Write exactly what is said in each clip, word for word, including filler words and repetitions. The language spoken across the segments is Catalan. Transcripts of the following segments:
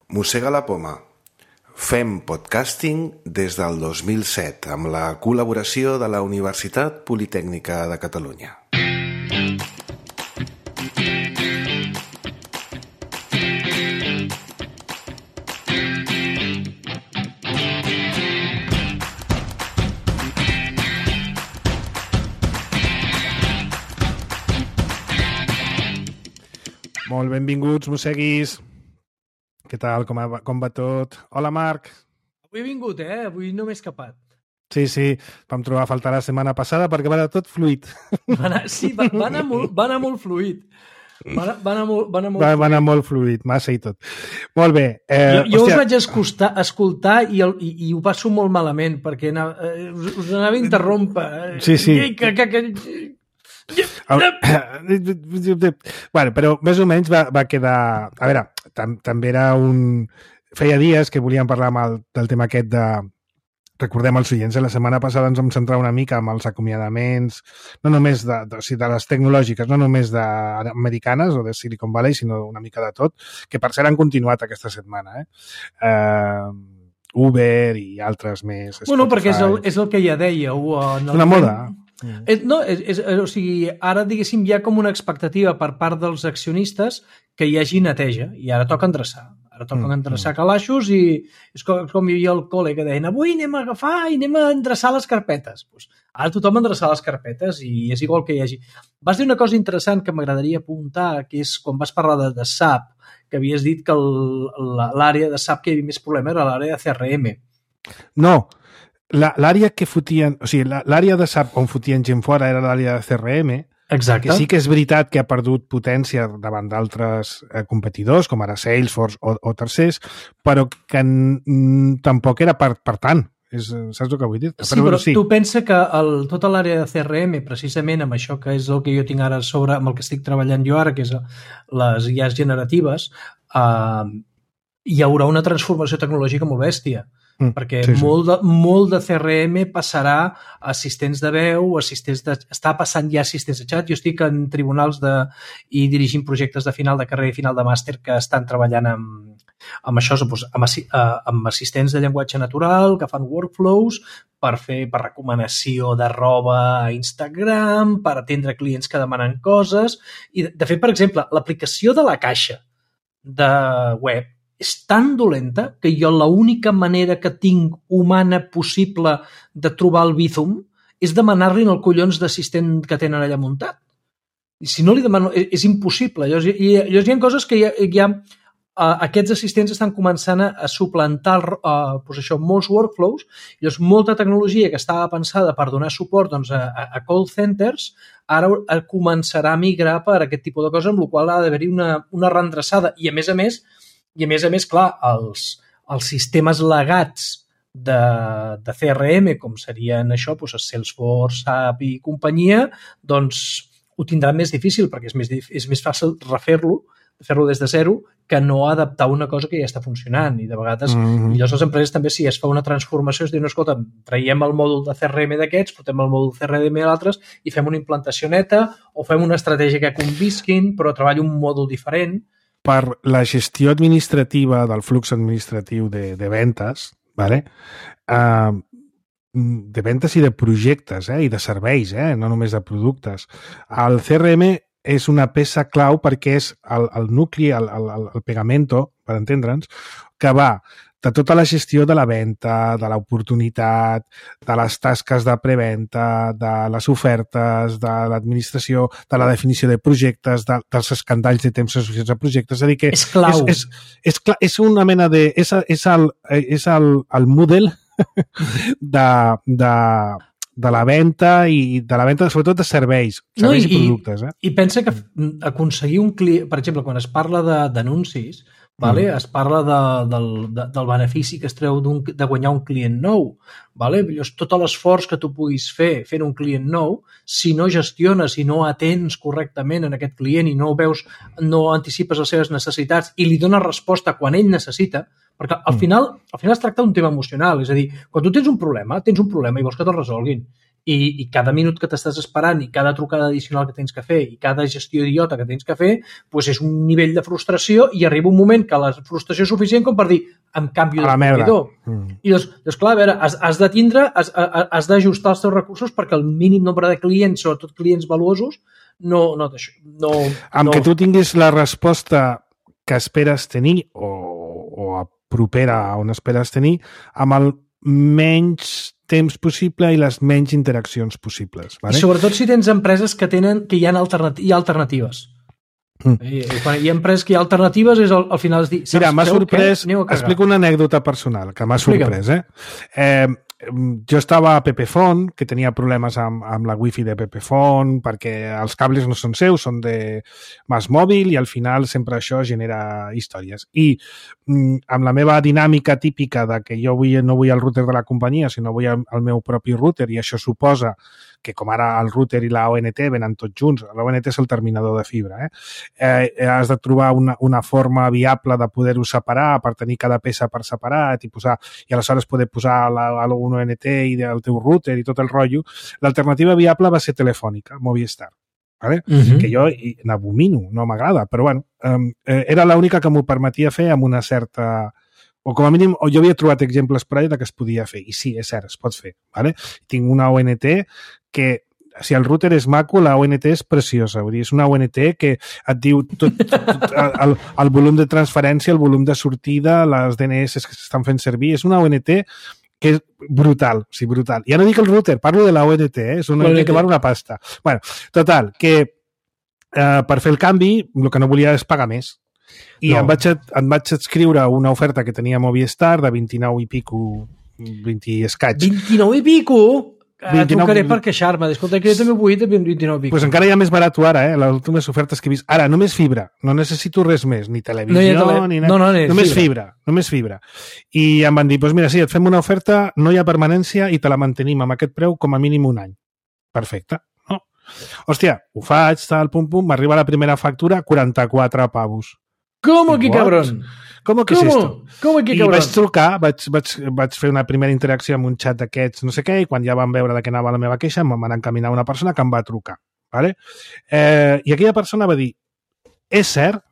Mossega la poma. Fem podcasting des del dos mil set amb la col·laboració de la Universitat Politècnica de Catalunya. Molt benvinguts, mosseguis. Què tal? Com, va, com va tot? Hola, Marc. Avui he vingut, eh? Avui no m'he escapat. Sí, sí, vam trobar a faltar la setmana passada perquè va anar tot fluid. Va anar, sí, va, va, anar molt, va anar molt fluid. Va anar, va anar molt, va anar molt va, fluid. Va anar molt fluid, massa i tot. Molt bé. Eh, jo jo hòstia... us vaig escoltar, escoltar i, el, i, i ho passo molt malament perquè anava, eh, us, us anava a interrompre. Sí, sí. Que, que, que... Bueno, però més o menys va, va quedar... A veure, tam, també era un... Feia dies que volíem parlar amb el, del tema aquest de... Recordem els oients, la setmana passada ens vam centrar una mica amb els acomiadaments, no només de, de, de les tecnològiques, no només de americanes o de Silicon Valley, sinó una mica de tot, que per cert han continuat aquesta setmana. Eh? Uh, Uber i altres més. Bueno, Spotify. Perquè és el, és el que ja dèieu. En el una moda. Mm. És, no, és, és, o sigui, ara, diguéssim, hi ha com una expectativa per part dels accionistes que hi hagi neteja, i ara toca endreçar. Ara toca mm. endreçar calaixos i és com, com hi havia el col·le que deien avui anem a agafar i anem a endreçar les carpetes. Pues ara tothom endreçar les carpetes i és igual que hi hagi. Vas dir una cosa interessant que m'agradaria apuntar, que és quan vas parlar de, de S A P, que havies dit que l'àrea de S A P que hi havia més problema era l'àrea de C R M. No, l'àrea que fotien, o sigui, l'àrea de S A P on fotien gent fora era l'àrea de C R M. Exacte. Que sí que és veritat que ha perdut potència davant d'altres eh, competidors, com ara Salesforce o, o tercers, però que n, tampoc era per, per tant. És, saps el que vull dir? Sí, però, però sí. Tu pensa que el, tota l'àrea de C R M, precisament amb això que és el que jo tinc ara sobre, amb el que estic treballant jo ara, que és les I As generatives, eh, hi haurà una transformació tecnològica molt bèstia. Mm, perquè sí, sí. Molt, de, molt de C R M passarà a assistents de veu, assistents de, està passant ja assistents de xat. Jo estic en tribunals de, i dirigint projectes de final de carrera i final de màster que estan treballant amb, amb això, doncs, amb, amb assistents de llenguatge natural que fan workflows per fer per recomanació de roba a Instagram, per atendre clients que demanen coses. I, de fet, per exemple, l'aplicació de la caixa de web és tan dolenta que jo l'única manera que tinc humana possible de trobar el Bizum és demanar-li el collons d'assistent que tenen allà muntat. I si no li demano, és, és impossible. Llavors, hi, llavors hi ha coses que hi ha, hi ha uh, aquests assistents estan començant a, a suplantar uh, doncs això, molts workflows. Llavors, molta tecnologia que estava pensada per donar suport doncs, a, a call centers ara començarà a migrar per aquest tipus de coses, amb la qual ha d'haver-hi una, una reendreçada. I a més a més, I a més a més, clar, els, els sistemes legats de, de C R M, com serien això, doncs Salesforce, S A P i companyia, doncs ho tindran més difícil, perquè és més, és més fàcil refer-lo, fer-lo des de zero, que no adaptar una cosa que ja està funcionant. I de vegades, mm-hmm. millors les empreses també, si es fa una transformació, es diu, no, escolta, traiem el mòdul de C R M d'aquests, portem el mòdul C R M d'altres i fem una implantació neta o fem una estratègia que convisquin, però treballi un mòdul diferent. Per la gestió administrativa del flux administratiu de, de ventes, vale? uh, de ventes i de projectes eh? I de serveis, eh? No només de productes. El C R M és una peça clau perquè és el, el nucli, el, el, el pegamento, per entendre'ns, que va de tota la gestió de la venda, de l'oportunitat, de les tasques de preventa, de les ofertes, de l'administració, de la definició de projectes, de, dels escandalls de temps associats a projectes. És a dir que és clau. És, és, és, és una mena de... És, és, el, és el, el model de, de, de la venda i de la venda, sobretot de serveis, serveis no, i, i productes. Eh? I pensa que aconseguir un client... Per exemple, quan es parla d'anuncis, vale? Mm. Es parla de, del, de, del benefici que es treu de guanyar un client nou. Vale? Llavors, tot l'esforç que tu puguis fer fent un client nou, si no gestiones, si no atens correctament en aquest client i no veus, no anticipes les seves necessitats i li dones resposta quan ell necessita, perquè al final, al final es tracta d'un tema emocional. És a dir, quan tu tens un problema, tens un problema i vols que te'l resolguin. i, i cada minut que t'estàs esperant i cada trucada addicional que tens que fer i cada gestió idiota que tens que fer, doncs és un nivell de frustració i arriba un moment que la frustració és suficient com per dir em canvio de proveïdor. Mm. I doncs, doncs, clar, a veure, has, has de tindre, has, has d'ajustar els teus recursos perquè el mínim nombre de clients, sobretot clients valuosos, no... no, no amb no... que tu tinguis la resposta que esperes tenir o, o propera a on esperes tenir, amb el menys temps possible i les menys interaccions possibles. Vale? I sobretot si tens empreses que tenen que hi ha, alternati hi ha alternatives. Mm. I, i quan hi ha empreses que hi ha alternatives és al, al final és dir... Mira, m'ha sorprès... Explico una anècdota personal que m'ha sorprès. Eh? Eh, jo estava a Pepefont, que tenia problemes amb, amb la wifi de Pepefont, perquè els cables no són seus, són de MásMóvil, i al final sempre això genera històries. I mm, amb la meva dinàmica típica de que jo vull, no vull el router de la companyia, sinó vull el, el meu propi router, i això suposa que com ara el router i la O N T venen tots junts, la O N T és el terminador de fibra, eh? Eh, has de trobar una, una forma viable de poder-ho separar per tenir cada peça per separat i posar, i aleshores poder posar la, la O N T i el teu router i tot el rotllo. L'alternativa viable va ser Telefònica, Movistar. Vale? Uh-huh. Que jo n'abomino, no m'agrada, però bueno, eh, era l'única que m'ho permetia fer amb una certa... o com a mínim, o jo havia trobat exemples per allà que es podia fer, i sí, és cert, es pot fer. Vale? Tinc una O N T que, si el router és maco, la O N T és preciosa, vull dir, és una O N T que et diu tot, tot el, el volum de transferència, el volum de sortida, les D N S que s'estan fent servir, és una O N T que és brutal, sí, brutal. Ja no dic el router, parlo de la O N T, eh? És una O N T que val una pasta. Bueno, total, que eh, per fer el canvi, el que no volia és pagar més. I no. em, vaig, em vaig escriure una oferta que tenia Movistar de vint-i-nou i pico, vint i escaig. vint-i-nou i pico? vint-i-nou... Trucaré per queixar-me. Escolta, que jo també vull de vint-i-nou i pico. Pues encara hi ha més barat ara, eh? Les últimes ofertes que he vist. Ara, només fibra. No necessito res més, ni televisió, no tele... ni... No, no, no, només fibra. fibra. Només fibra. I em van dir, pues mira, sí, et fem una oferta, no hi ha permanència i te la mantenim amb aquest preu com a mínim un any. Perfecte. No? Hòstia, ho faig, tal, pum, pum, m'arriba la primera factura, quaranta-quatre pavos. ¿Cómo que cabrón? ¿Cómo que ¿Cómo? és esto? ¿Cómo que I cabrón? vaig trucar, vaig, vaig, vaig fer una primera interacció amb un xat d'aquests, no sé què, i quan ja van veure de què anava la meva queixa, em van encaminar una persona que em va trucar. Vale? Eh, I aquella persona va dir, és cert,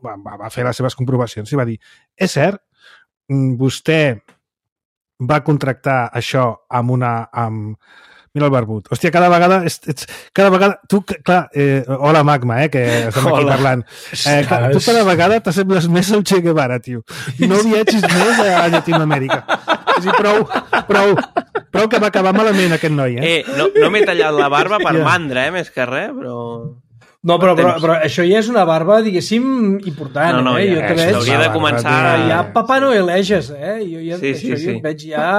va, va fer les seves comprovacions, i va dir, és cert, vostè va contractar això amb una... Amb, mira el barbut. Hòstia, cada vegada... Ets, ets, cada vegada... Tu, clar... Eh, hola, Magma, eh, que estem aquí hola. Parlant. Eh, tu cada vegada t'assembles més al Che Guevara, tio. No viatgis més a Llatinoamèrica. És dir, prou, prou, prou que va acabar malament aquest noi, eh? Eh, no, no m'he tallat la barba per yeah. mandra, eh, més que res, però... No, però, però, però això ja és una barba, diguéssim, important, no, no, eh? Ja, jo eh, hauria de començar... Ja Papà Noeleges, eh? Jo ja, sí, sí, això sí. ja et veig ja...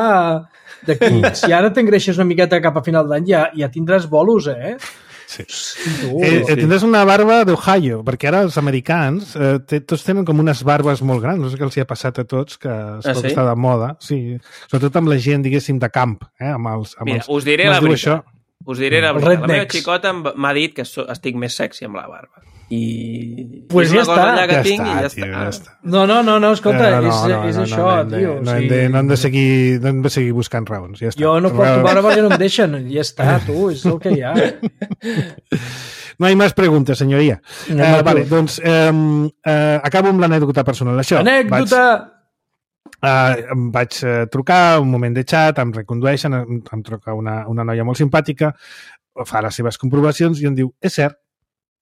D'aquí, si ara t'engreixes una miqueta cap a final d'any, ja, ja tindràs bolos, eh? Sí. Tu, eh, sí. Tindràs una barba d'Ohio, perquè ara els americans eh, tots tenen com unes barbes molt grans, no sé què els hi ha passat a tots, que es pot ah, sí? estar de moda, sí. Sobretot amb la gent, diguéssim, de camp, eh? Amb els, amb Mira, els, us diré la veritat. Això? Us diré la veritat. La meva xicota m'ha dit que estic més sexy amb la barba. I... Pues I ja està. Que ja, tinc està, i ja, tio, està. ja està. No, no, no, no escolta, eh, no, és, no, és no, això, no, no, tio. No, hem de, no, hem de seguir, no hem de seguir buscant raons, ja està. Jo no porto barba perquè no em deixen, ja està, tu, és el que hi ha. No hi ha més preguntes, senyoria. No, eh, vale, doncs eh, eh, acabo amb l'anècdota personal. Això, anècdota! Vaig, eh, em vaig eh, trucar, un moment de xat, em recondueixen, em, em truca una, una noia molt simpàtica, fa les seves comprovacions i em diu, és cert,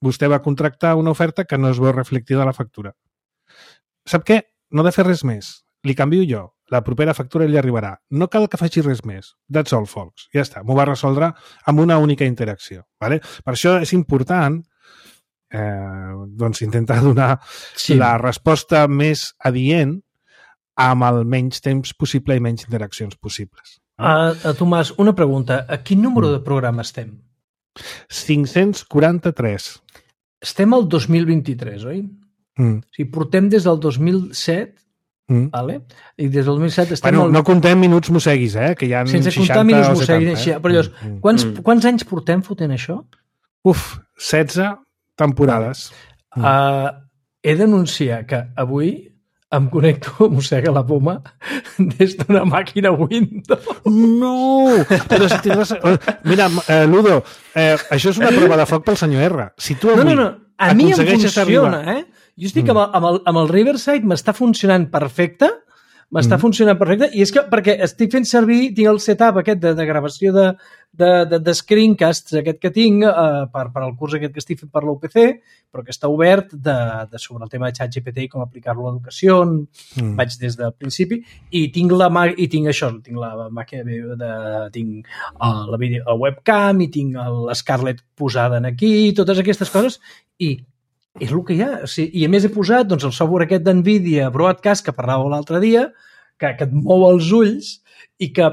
vostè va contractar una oferta que no es veu reflectida a la factura. Sap què? No ha de fer res més. Li canvio jo. La propera factura li arribarà. No cal que faci res més. That's all, folks. Ja està. M'ho va resoldre amb una única interacció. Vale? Per això és important eh, doncs intentar donar sí. la resposta més adient amb el menys temps possible i menys interaccions possibles. Uh, uh, Tomàs, una pregunta. A quin número de programa estem? cinc-cents quaranta-tres. Estem al dos mil vint-i-tres, oi? Mm. O sigui, portem des del dos mil set, mm. vale? I des del dos mil set estem... Bueno, al... no contem minuts mosseguis, eh? Que hi ha sense seixanta comptar minuts o setanta. Mosseguis, eh? Però llavors, mm. quants, mm. quants anys portem fotent això? Uf, setze temporades. Uh, he d'anunciar que avui em connecto, mossega la poma, des d'una màquina Windows. No! Però si tindràs... Mira, eh, Ludo, eh, això és una prova de foc pel senyor R. Si tu avui no, no, no. A mi em funciona, arribar... eh? Jo estic mm. amb, el, amb, el, amb el Riverside, m'està funcionant perfecte, m'està mm. funcionant perfecte, i és que perquè estic fent servir, tinc el setup aquest de, de gravació de, de, de, de screencasts aquest que tinc eh, per, per al curs aquest que estic fent per l'U P C, però que està obert de, de sobre el tema de ChatGPT i com aplicar-lo a l'educació, mm. vaig des del principi, i tinc la i tinc això, tinc la màquina de, tinc uh, la, video, la webcam, i tinc l'Scarlett posada aquí, totes aquestes coses, i és el que hi ha. O sigui, i a més he posat doncs, el software aquest d'NVIDIA Broadcast que parlàveu l'altre dia, que, que et mou els ulls i que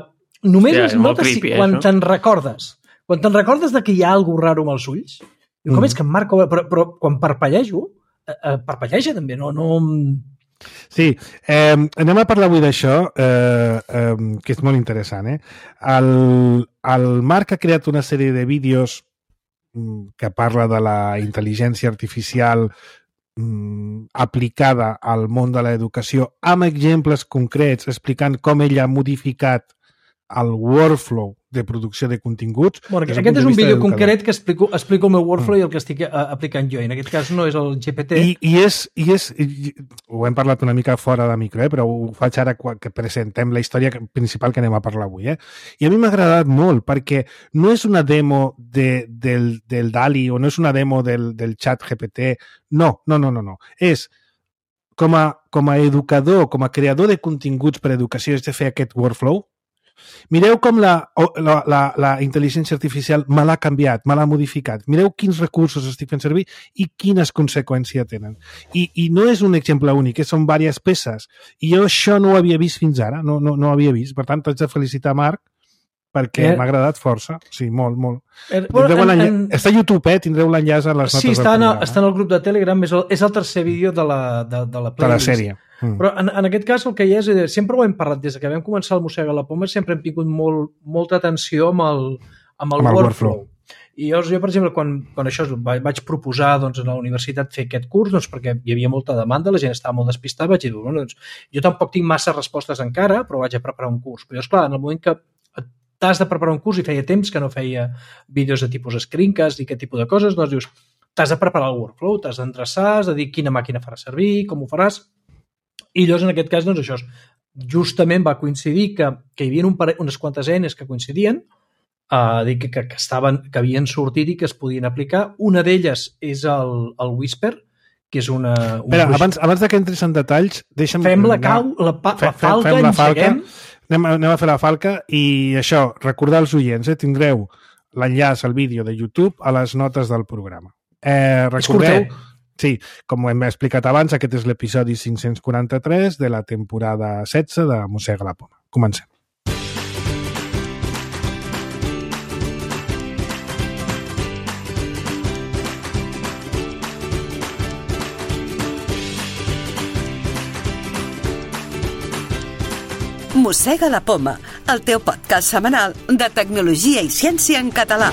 només Hòstia, es nota si, creepy, quan eh, te'n recordes. Quan te'n recordes de que hi ha alguna raro amb els ulls, diu, com mm. és que em marca... Però, però quan parpellejo, eh, eh, parpelleja també, no... no... Sí, eh, anem a parlar avui d'això, eh, eh, que és molt interessant. Eh? El, el Marc ha creat una sèrie de vídeos que parla de la intel·ligència artificial mm, aplicada al món de l'educació amb exemples concrets explicant com ell ha modificat el workflow de producció de continguts. Bueno, aquest és un vídeo concret que explico, explico el meu workflow mm. i el que estic uh, aplicant jo. I en aquest cas no és el G P T. I, i, és, i és... I, ho hem parlat una mica fora de micro, eh? Però ho faig ara que presentem la història principal que anem a parlar avui. Eh? I a mi m'ha agradat molt perquè no és una demo de, del, del DALI o no és una demo del, del xat G P T. No, no, no, no. no. És com a, com a educador, com a creador de continguts per a educació, és de fer aquest workflow. Mireu com la, la, la, la intel·ligència artificial me l'ha canviat, me l'ha modificat. Mireu quins recursos estic fent servir i quines conseqüències tenen. I, i no és un exemple únic, són diverses peces. I jo això no ho havia vist fins ara, no, no, no ho havia vist. Per tant, t'haig de felicitar, Marc, perquè eh? m'ha agradat força. Sí, molt, molt. Eh, bueno, en, en... Està a YouTube, eh? Tindreu l'enllaç a les notes sí, està del programa. Sí, està en el grup de Telegram, és el, és el tercer vídeo de la, de, de la playlist. De la sèrie. Mm. Però en, en aquest cas el que hi ha és, sempre ho hem parlat des que vam començar el Mossega la Poma, sempre hem tingut molt, molta atenció amb el, amb el, amb el workflow. workflow. I llavors jo, per exemple, quan, quan això vaig proposar doncs, a la universitat fer aquest curs, doncs, perquè hi havia molta demanda, la gent estava molt despistada, vaig dir, bueno, doncs, jo tampoc tinc massa respostes encara, però vaig a preparar un curs. Però esclar, en el moment que t'has de preparar un curs i feia temps que no feia vídeos de tipus screencast i aquest tipus de coses, doncs dius, t'has de preparar el workflow, t'has d'endreçar, has de dir quina màquina faràs servir, com ho faràs. I llavors, en aquest cas, doncs, això justament va coincidir que, que hi havia un pare, unes quantes eines que coincidien, uh, que, que, que, estaven, que havien sortit i que es podien aplicar. Una d'elles és el, el Whisper, que és una... Un Espera, abans, abans que entres en detalls, deixa'm... Fem la cau, la, pa, la falca, fem la falca, anem, anem a fer la falca i això, recordar als oients, eh, tindreu l'enllaç al vídeo de YouTube a les notes del programa. Eh, recordeu... Sí, com hem explicat abans, aquest és l'episodi cinc-cents quaranta-tres de la temporada setze de Mossega la Poma. Comencem. Mossega la Poma, el teu podcast setmanal de tecnologia i ciència en català.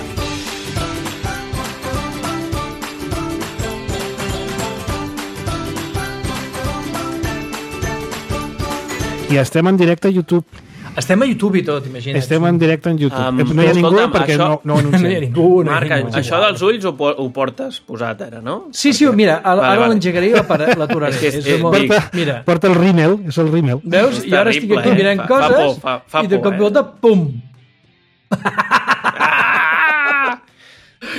I estem en directe a YouTube. Estem a YouTube i tot, imagina't. Estem en directe en YouTube. Um, no hi ha ningú perquè això... no, no ho anunciem. No hi ha ningú. No Marc, hi ha ningú. Això dels ulls ho, ho portes posat ara, no? Sí, sí, perquè... mira, ara, vale, vale. l'engegaré i l'aturaré. és, és, és porta, mira. porta el rímel, és el rímel. Veus? I ara estic aquí mirant eh? coses fa, fa, fa, fa i de cop i volta, pum! Ah!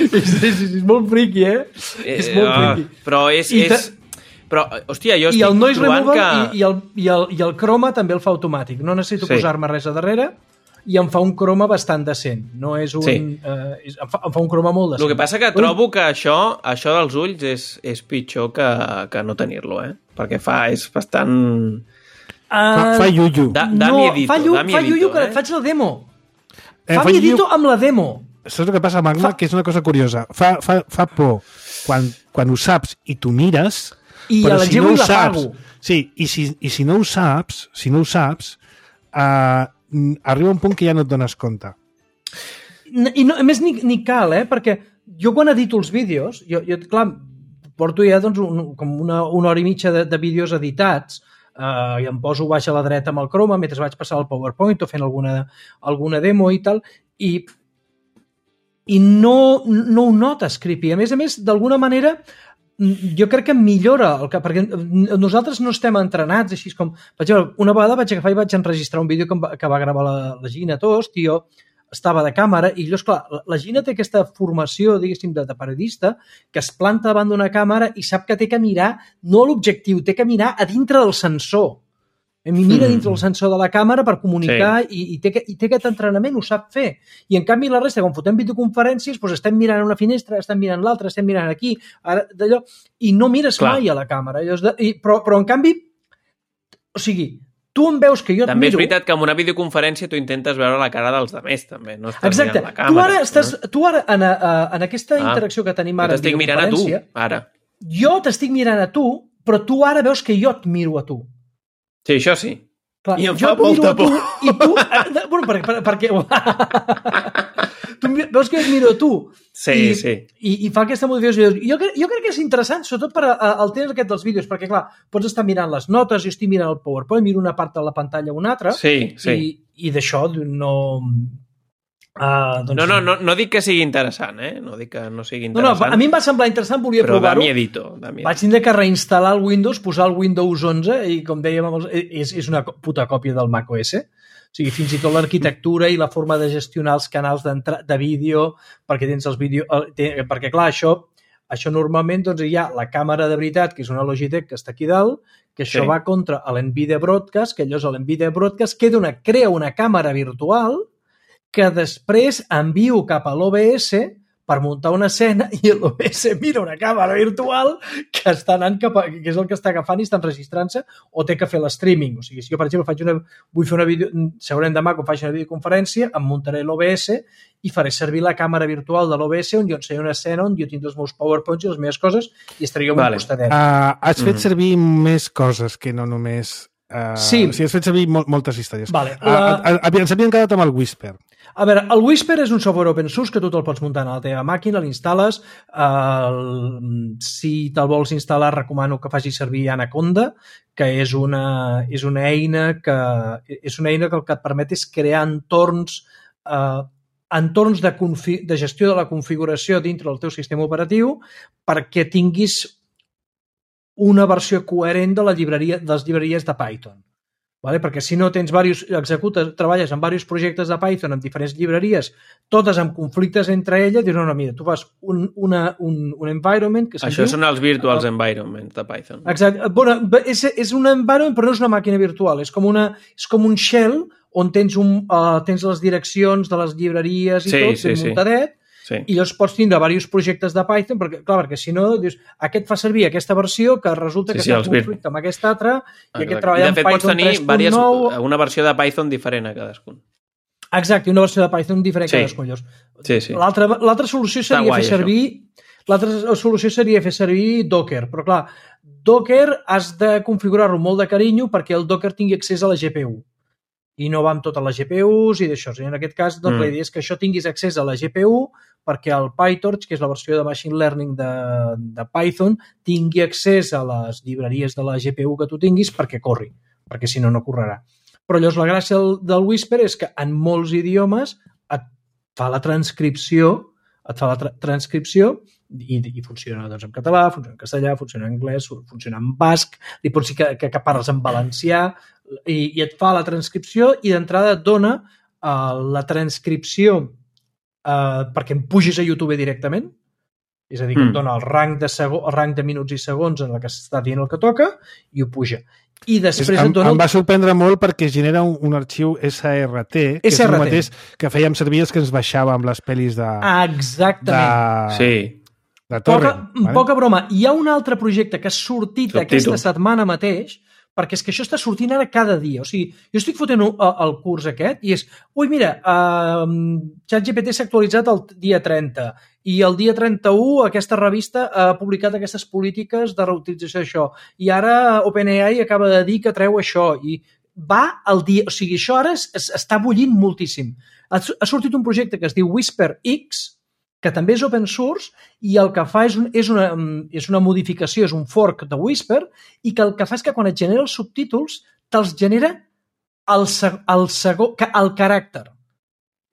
és, és, és molt friqui, eh? eh és molt friqui. Però és... és... Però, hòstia, jo estic I el noise removal que... i, i, el, i, el, i el croma també el fa automàtic. No necessito sí. posar-me res a darrere i em fa un croma bastant decent. No és un... Sí. Uh, és, em, fa, em fa un croma molt decent. El que passa que trobo que això, això dels ulls és, és pitjor que, que no tenir-lo, eh? Perquè fa, és bastant... Uh, fa, fa yuyu. Da, dami no, edito, fa, yu, dami fa edito, yuyu que eh? faig la demo. Eh, fa, fa mi edito amb la demo. Saps el que passa, Magma? Fa... Que és una cosa curiosa. Fa, fa, fa por quan, quan ho saps i tu mires... I però a la si no ho saps, sí, i si, i si no ho saps, si no ho saps, uh, arriba un punt que ja no et dones compte. I no, a més ni, ni cal, eh? Perquè jo quan edito els vídeos, jo, jo clar, porto ja doncs, un, com una, una hora i mitja de, de vídeos editats, uh, i em poso baix a la dreta amb el Chrome mentre vaig passar el PowerPoint o fent alguna, alguna demo i tal, i, i no, no ho notes creepy. A més a més, d'alguna manera, jo crec que millora, el que, perquè nosaltres no estem entrenats així com... Per exemple, una vegada vaig agafar i vaig enregistrar un vídeo que, va, que va gravar la, la Gina Tost i jo estava de càmera i jo, esclar, la, la Gina té aquesta formació, diguéssim, de, de periodista que es planta davant d'una càmera i sap que té que mirar, no a l'objectiu, té que mirar a dintre del sensor. Mi mira dintre del sensor de la càmera per comunicar sí. i, i, té, i té aquest entrenament, ho sap fer. I en canvi la resta, quan fotem videoconferències, doncs estem mirant una finestra, estem mirant l'altra, estem mirant aquí, ara, d'allò, i no mires Clar. mai a la càmera. I, però, però en canvi, o sigui, tu em veus que jo et també miro... és veritat que en una videoconferència tu intentes veure la cara dels altres, també. No estàs Exacte. mirant la càmera. Tu ara, estàs, no? tu ara en, a, en aquesta ah, interacció que tenim ara... Jo t'estic mirant a tu, ara. Jo t'estic mirant a tu, però tu ara veus que jo et miro a tu. Sí, això sí. Clar, I em fa molta por. I tu... Bueno, per, per, perquè... tu veus que et miro a tu. Sí, i, sí. I, i fa aquesta modificació. Jo, jo crec que és interessant, sobretot per al temps aquest dels vídeos, perquè, clar, pots estar mirant les notes, jo estic mirant el PowerPoint, miro una part de la pantalla o una altra, sí, sí. i, i d'això no... Uh, doncs... no, no, no, no dic que sigui interessant, eh? No dic que no sigui interessant. No, no, a mi em va semblar interessant, volia però provar-ho. Però de miedito, de miedito. Vaig tindre que reinstal·lar el Windows, posar el Windows onze i, com dèiem, és, és una puta còpia del macOS. O sigui, fins i tot l'arquitectura i la forma de gestionar els canals de vídeo, perquè tens els vídeos... Perquè, clar, això, això normalment doncs, hi ha la càmera de veritat, que és una Logitech que està aquí dalt, que això sí. va contra l'NVIDIA Broadcast, que llavors l'NVIDIA Broadcast queda una, crea una càmera virtual que després envio cap a l'O B S per muntar una escena i l'O B S mira una càmera virtual que està anant cap a, que és el que està agafant i està enregistrant-se o té que fer l'streaming. O sigui, si jo, per exemple, faig una, vull fer una vídeo, segurament demà quan faig una videoconferència, em muntaré l'O B S i faré servir la càmera virtual de l'O B S on jo ensenyaré una escena on jo tinc els meus PowerPoints i les meves coses i estaré jo vale. un costadet. Uh, has fet mm. servir més coses que no només... Uh, sí. O sigui, has fet servir mol moltes històries. Vale, la... uh, uh, ens havíem quedat amb el Whisper. A veure, el Whisper és un software open source que tu te'l pots muntar a la teva màquina, l'instal·les. El... Si te'l vols instal·lar, recomano que facis servir Anaconda, que és una, és una eina que és una eina que el que et permet és crear entorns eh, entorns de, de gestió de la configuració dintre del teu sistema operatiu perquè tinguis una versió coherent de la llibreria, de les llibreries de Python. Vale? Perquè si no tens diversos, executes, treballes en diversos projectes de Python en diferents llibreries, totes amb conflictes entre elles, dius, no, no, mira, tu fas un, una, un, un environment que Això diu, són els virtuals uh, environments de Python. Exacte. Bueno, és, és un environment, però no és una màquina virtual, és com, una, és com un shell on tens, un, uh, tens les direccions de les llibreries i sí, tot, sí, ben sí. muntadet, sí. i llavors pots tindre diversos projectes de Python, perquè, clar, perquè si no, dius, aquest fa servir aquesta versió que resulta sí, que sí, està en conflicte amb aquesta altra, i aquest treballa en Python tres punt nou. Diverses, una versió de Python diferent a cadascun. Exacte, una versió de Python diferent sí. a cadascun. Sí, sí. L'altra solució seria guai, fer servir... L'altra solució seria fer servir Docker, però clar, Docker has de configurar-lo molt de carinyo perquè el Docker tingui accés a la G P U. I no va amb totes les G P Us i d'això. En aquest cas, doncs, mm. la idea és que això tinguis accés a la G P U perquè el PyTorch, que és la versió de Machine Learning de, de Python, tingui accés a les llibreries de la G P U que tu tinguis perquè corri, perquè si no, no correrà. Però llavors la gràcia del, del Whisper és que en molts idiomes et fa la transcripció, et fa la tra transcripció i, i funciona doncs, en català, funciona en castellà, funciona en anglès, funciona en basc, li pots dir que, que, que parles en valencià, i, i et fa la transcripció i d'entrada et dona uh, la transcripció uh, perquè em pugis a YouTube directament, és a dir, que mm. et dona el rang, de el rang de minuts i segons en el que s'està dient el que toca i ho puja. I després és, em, et dona... Em va sorprendre molt perquè genera un, un arxiu S R T, que S R T. És el mateix que fèiem servir els que ens baixava amb les pel·lis de... Exactament. De... Sí. De Torrent. Poca, vale? Poca broma. Hi ha un altre projecte que ha sortit Subtítol. aquesta setmana mateix, perquè és que això està sortint ara cada dia. O sigui, jo estic fotent el curs aquest i és, ui, mira, uh, ChatGPT s'ha actualitzat el dia trenta i el dia trenta-u aquesta revista ha publicat aquestes polítiques de reutilització d'això i ara OpenAI acaba de dir que treu això i va al dia... O sigui, això ara es, es, està bullint moltíssim. Ha, ha sortit un projecte que es diu Whisper X, que també és open source i el que fa és, un, és, una, és una modificació, és un fork de Whisper, i que el que fa és que quan et genera els subtítols te'ls genera el, el, segon, el caràcter.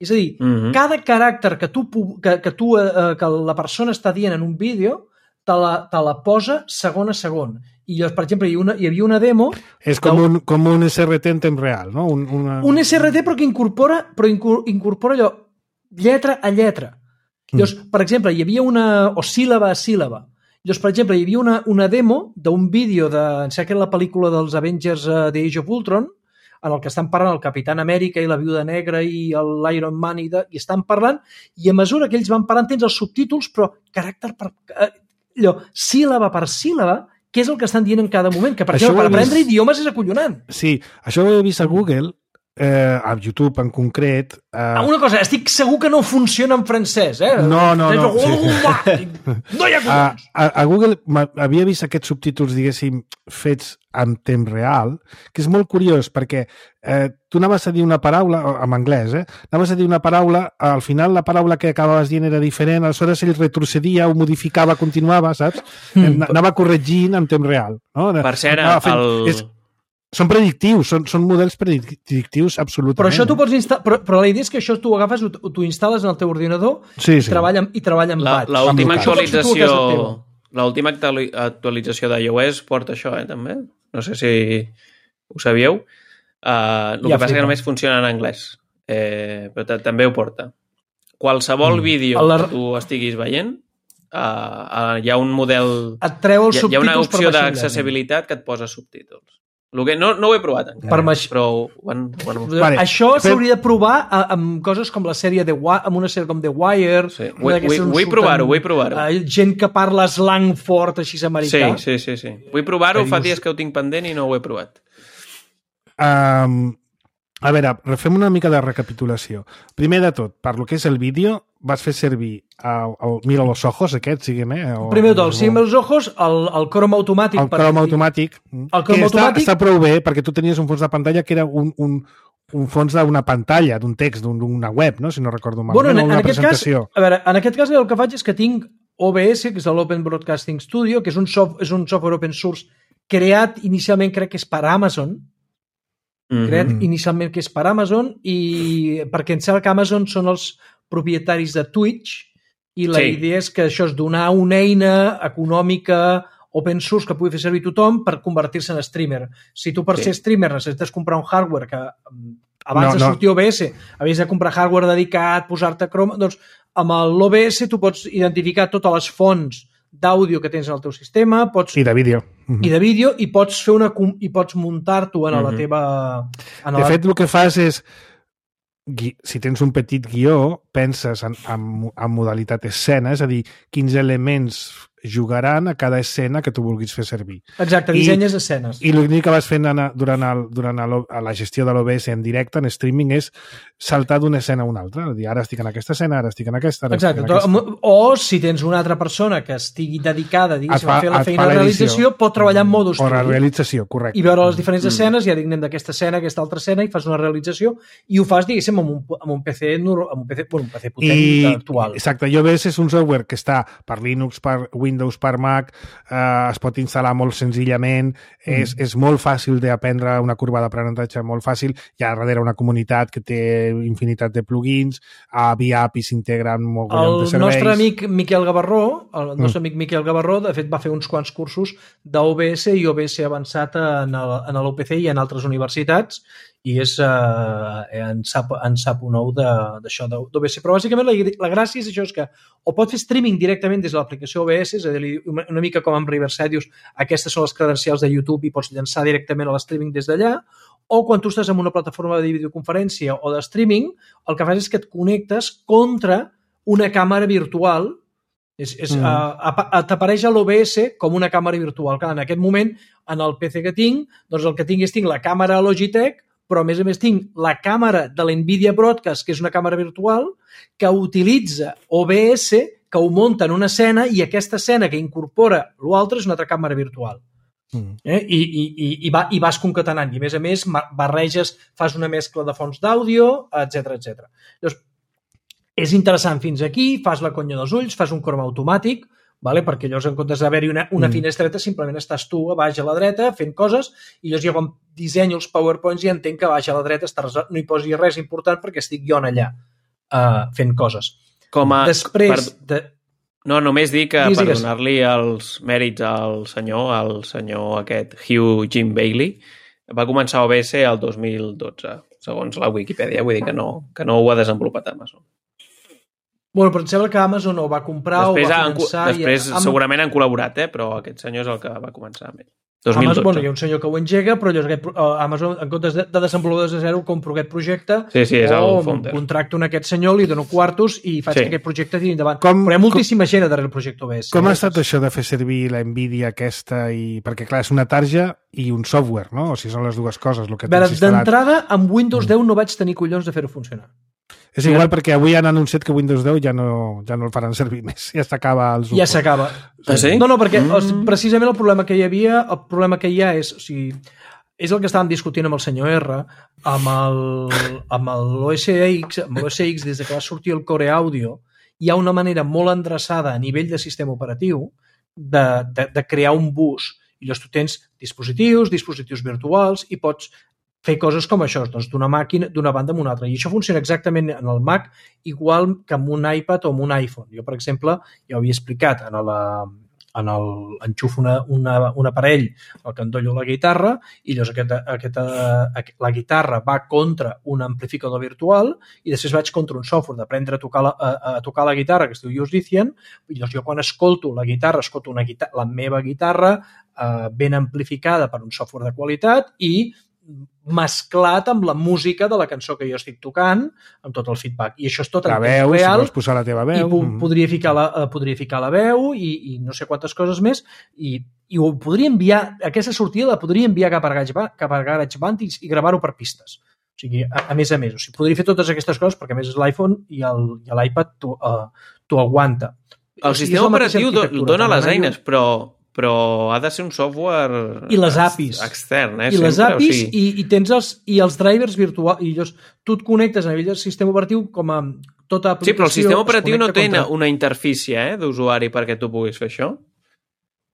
És a dir, uh-huh. cada caràcter que, tu, que, que, tu, eh, que la persona està dient en un vídeo te la, te la posa segon a segon. I llavors, per exemple, hi, una, hi havia una demo... És com, un, com un S R T en temps real, no? Un, una... un S R T però que incorpora, però incorpora allò, lletra a lletra. Llavors, mm. per exemple, hi havia una... o síl·laba a síl·laba. Llavors, per exemple, hi havia una, una demo d'un vídeo de... em sembla que la pel·lícula dels Avengers uh, de Age of Ultron, en el que estan parlant el Capitán Amèrica i la Viuda Negra i l'Iron Man i, de, i estan parlant, i a mesura que ells van parlant tens els subtítols, però caràcter per... allò, síl·laba per síl·laba, què és el que estan dient en cada moment, que per això exemple, per aprendre vist... idiomes és acollonant. Sí, això ho he vist a Google, eh, a YouTube en concret. Eh... Ah, una cosa, estic segur que no funciona en francès, eh? No, no, no. Sí. No hi ha collons. A, a Google havia vist aquests subtítols, diguéssim, fets en temps real, que és molt curiós, perquè eh, tu anaves a dir una paraula, en anglès, eh? Anaves a dir una paraula, al final la paraula que acabaves dient era diferent, aleshores ell retrocedia, ho modificava, continuava, saps? Mm. Anava corregint en temps real. No? Per cert, fent... el... És... Són predictius, són, són models predictius absolutament. Però això tu pots instal·lar, però, però la idea és que això tu ho agafes, t'ho instal·les en el teu ordinador sí, sí. i treballa, i treballa amb batch. L'última actualització, l'última actualització d'iOS porta això, eh, també. No sé si ho sabíeu. Uh, el ja que passa que només funciona en anglès, eh, però també ho porta. Qualsevol mm. vídeo la... que tu estiguis veient, uh, uh, hi ha un model... Et treu els hi, subtítols. Hi ha una opció d'accessibilitat que et posa subtítols. Que no, no ho he provat encara, per maix... però... One, one... Vale. Això s'hauria de provar amb coses com la sèrie de amb una sèrie com The Wire. Sí. Vull provar-ho, vull provar-ho. Uh, gent que parla slang fort així americà. Sí, sí, sí, sí. Vull provar-ho, fa dies que ho tinc pendent i no ho he provat. Um, a veure, refem una mica de recapitulació. Primer de tot, per lo que és el vídeo, vas fer servir el, el Mira los ojos, aquest, siguem, eh? O, Primer de tot, el Mira los ojos, el, el Chrome automàtic. El Chrome per... automàtic, el Chrome que automàtic... està, està prou bé, perquè tu tenies un fons de pantalla que era un, un, un fons d'una pantalla, d'un text, d'una web, no? Si no recordo malament, bueno, en, una en presentació. Cas, a veure, en aquest cas el que faig és que tinc O B S, que és l'Open Broadcasting Studio, que és un, soft, és un software open source creat inicialment, crec que és per Amazon, mm-hmm. creat inicialment que és per Amazon, i perquè em sembla que Amazon són els propietaris de Twitch, i la sí. idea és que això és donar una eina econòmica open source que pugui fer servir tothom per convertir-se en streamer. Si tu per sí. ser streamer necessites comprar un hardware que abans no, de sortir no. O B S havies de comprar hardware dedicat, posar-te Chrome, doncs amb l'O B S tu pots identificar totes les fonts d'àudio que tens en el teu sistema, pots... I de vídeo. I de vídeo, i pots fer una i pots muntar-t'ho en la teva... En de la... fet, el que fas és si tens un petit guió, penses en, en, en modalitat escena, és a dir, quins elements jugaran a cada escena que tu vulguis fer servir. Exacte, dissenyes I, escenes. I l'únic que vas fent durant, el, durant el, la gestió de l'O B S en directe, en streaming, és saltar d'una escena a una altra. És a dir, ara estic en aquesta escena, ara estic en aquesta, ara Exacte, estic en aquesta. O si tens una altra persona que estigui dedicada diguéssim, fa, a fer la feina de realització, pot treballar en modus o la realització, correcte. I veure les diferents escenes, ja dignem d'aquesta escena, aquesta altra escena, i fas una realització, i ho fas, diguéssim, amb un, amb un P C, amb un P C, bueno, un P C potent I, actual. Exacte, i O B S és un software que està per Linux, per Windows, per Mac, eh, es pot instal·lar molt senzillament, mm. és, és molt fàcil d'aprendre, una curva d'aprenentatge molt fàcil, hi ha darrere una comunitat que té infinitat de plugins, a via A P I s'integren molt de serveis. El nostre amic Miquel Gavarró, el nostre mm. amic Miquel Gavarró, de fet va fer uns quants cursos d'O B S i O B S avançat en l'U P C i en altres universitats, i és, eh, en, sap, en sap un ou d'això d'O B S. Però bàsicament la, la gràcia és això, és que o pot fer streaming directament des de l'aplicació O B S, és a dir, una mica com amb Riverside, dius, aquestes són les credencials de YouTube i pots llançar directament a l'streaming des d'allà, o quan tu estàs en una plataforma de videoconferència o de streaming, el que fas és que et connectes contra una càmera virtual. És, és, mm. uh, t'apareix a l'O B S com una càmera virtual. Clar, en aquest moment, en el P C que tinc, doncs el que tinc és tinc la càmera Logitech, però a més a més tinc la càmera de la Nvidia Broadcast, que és una càmera virtual, que utilitza O B S, que ho munta en una escena, i aquesta escena que incorpora l'altre és una altra càmera virtual. Mm. Eh? I, i, i, va, i vas concatenant. I a més a més barreges, fas una mescla de fonts d'àudio, etcètera etcètera. Llavors, és interessant fins aquí, fas la conya dels ulls, fas un croma automàtic, vale? Perquè llavors en comptes d'haver-hi una, una mm. finestreta simplement estàs tu a baix a la dreta fent coses i llavors jo quan dissenyo els PowerPoints ja entenc que a baix a la dreta estàs, no hi posi res important perquè estic jo allà uh, fent coses. Com a... Després... Per... De... No, només dir que digues, per digues. donar-li els mèrits al senyor, al senyor aquest Hugh Jim Bailey, va començar a O B S el dos mil dotze, segons la Wikipedia, vull dir que no, que no ho ha desenvolupat Amazon. Bueno, però em sembla que Amazon ho va comprar després, o va finançar... Després i... segurament han col·laborat, eh? Però aquest senyor és el que va començar amb ell. dos mil dotze. Amazon, bueno, hi ha un senyor que ho engega, però aquest, Amazon, en comptes de, de desenvolupar des de zero, compro aquest projecte sí, sí, és o el founder. Contracto en aquest senyor, li dono quartos i faig sí. que aquest projecte tiri endavant. Com, però hi ha moltíssima com, gent darrere el projecte O B S. Com ha estat això de fer servir la Nvidia aquesta? I... Perquè, clar, és una tarja i un software, no? O sigui, són les dues coses. El que d'entrada, amb Windows deu no vaig tenir collons de fer-ho funcionar. És igual perquè avui han anunciat que Windows deu ja no, ja no el faran servir més. Ja s'acaba el suport. Ja s'acaba. Ah, sí? No, no, perquè mm. precisament el problema que hi havia, el problema que hi ha és, o sigui, és el que estàvem discutint amb el senyor R, amb el, amb l'O S X, amb l'O S X, des que va sortir el Core Audio, hi ha una manera molt endreçada a nivell de sistema operatiu de, de, de crear un bus. I llavors tu tens dispositius, dispositius virtuals i pots fer coses com això, doncs d'una màquina, d'una banda a una altra. I això funciona exactament en el Mac igual que amb un iPad o amb un iPhone. Jo, per exemple, ja ho havia explicat, en la, en el, enxufo una, una, un aparell al que endollo la guitarra i llavors aquesta, aquesta, la guitarra va contra un amplificador virtual i després vaig contra un software d'aprendre a tocar la, a, a tocar la guitarra que es diu Musician i llavors jo quan escolto la guitarra, escolto una guitarra, la meva guitarra eh, ben amplificada per un software de qualitat i mesclat amb la música de la cançó que jo estic tocant, amb tot el feedback. I això és tot la en veu, temps real. Si vols posar la teva veu. I po podria, ficar la, podria ficar la veu i, i no sé quantes coses més i, i ho podria enviar, aquesta sortida la podria enviar cap a GarageBand, cap a GarageBand i, i gravar-ho per pistes. O sigui, a, a més a més. O sigui, podria fer totes aquestes coses perquè a més l'iPhone i l'iPad t'ho uh, aguanta. El sistema operatiu dona les eines, però però ha de ser un software i les A P Is extern, eh? I les sempre, A P Is o sigui... i, i tens els, i els drivers virtuals i llavors tu et connectes a nivell del sistema operatiu com a tota aplicació. Sí, però el sistema operatiu no té contra... una interfície eh, d'usuari perquè tu puguis fer això.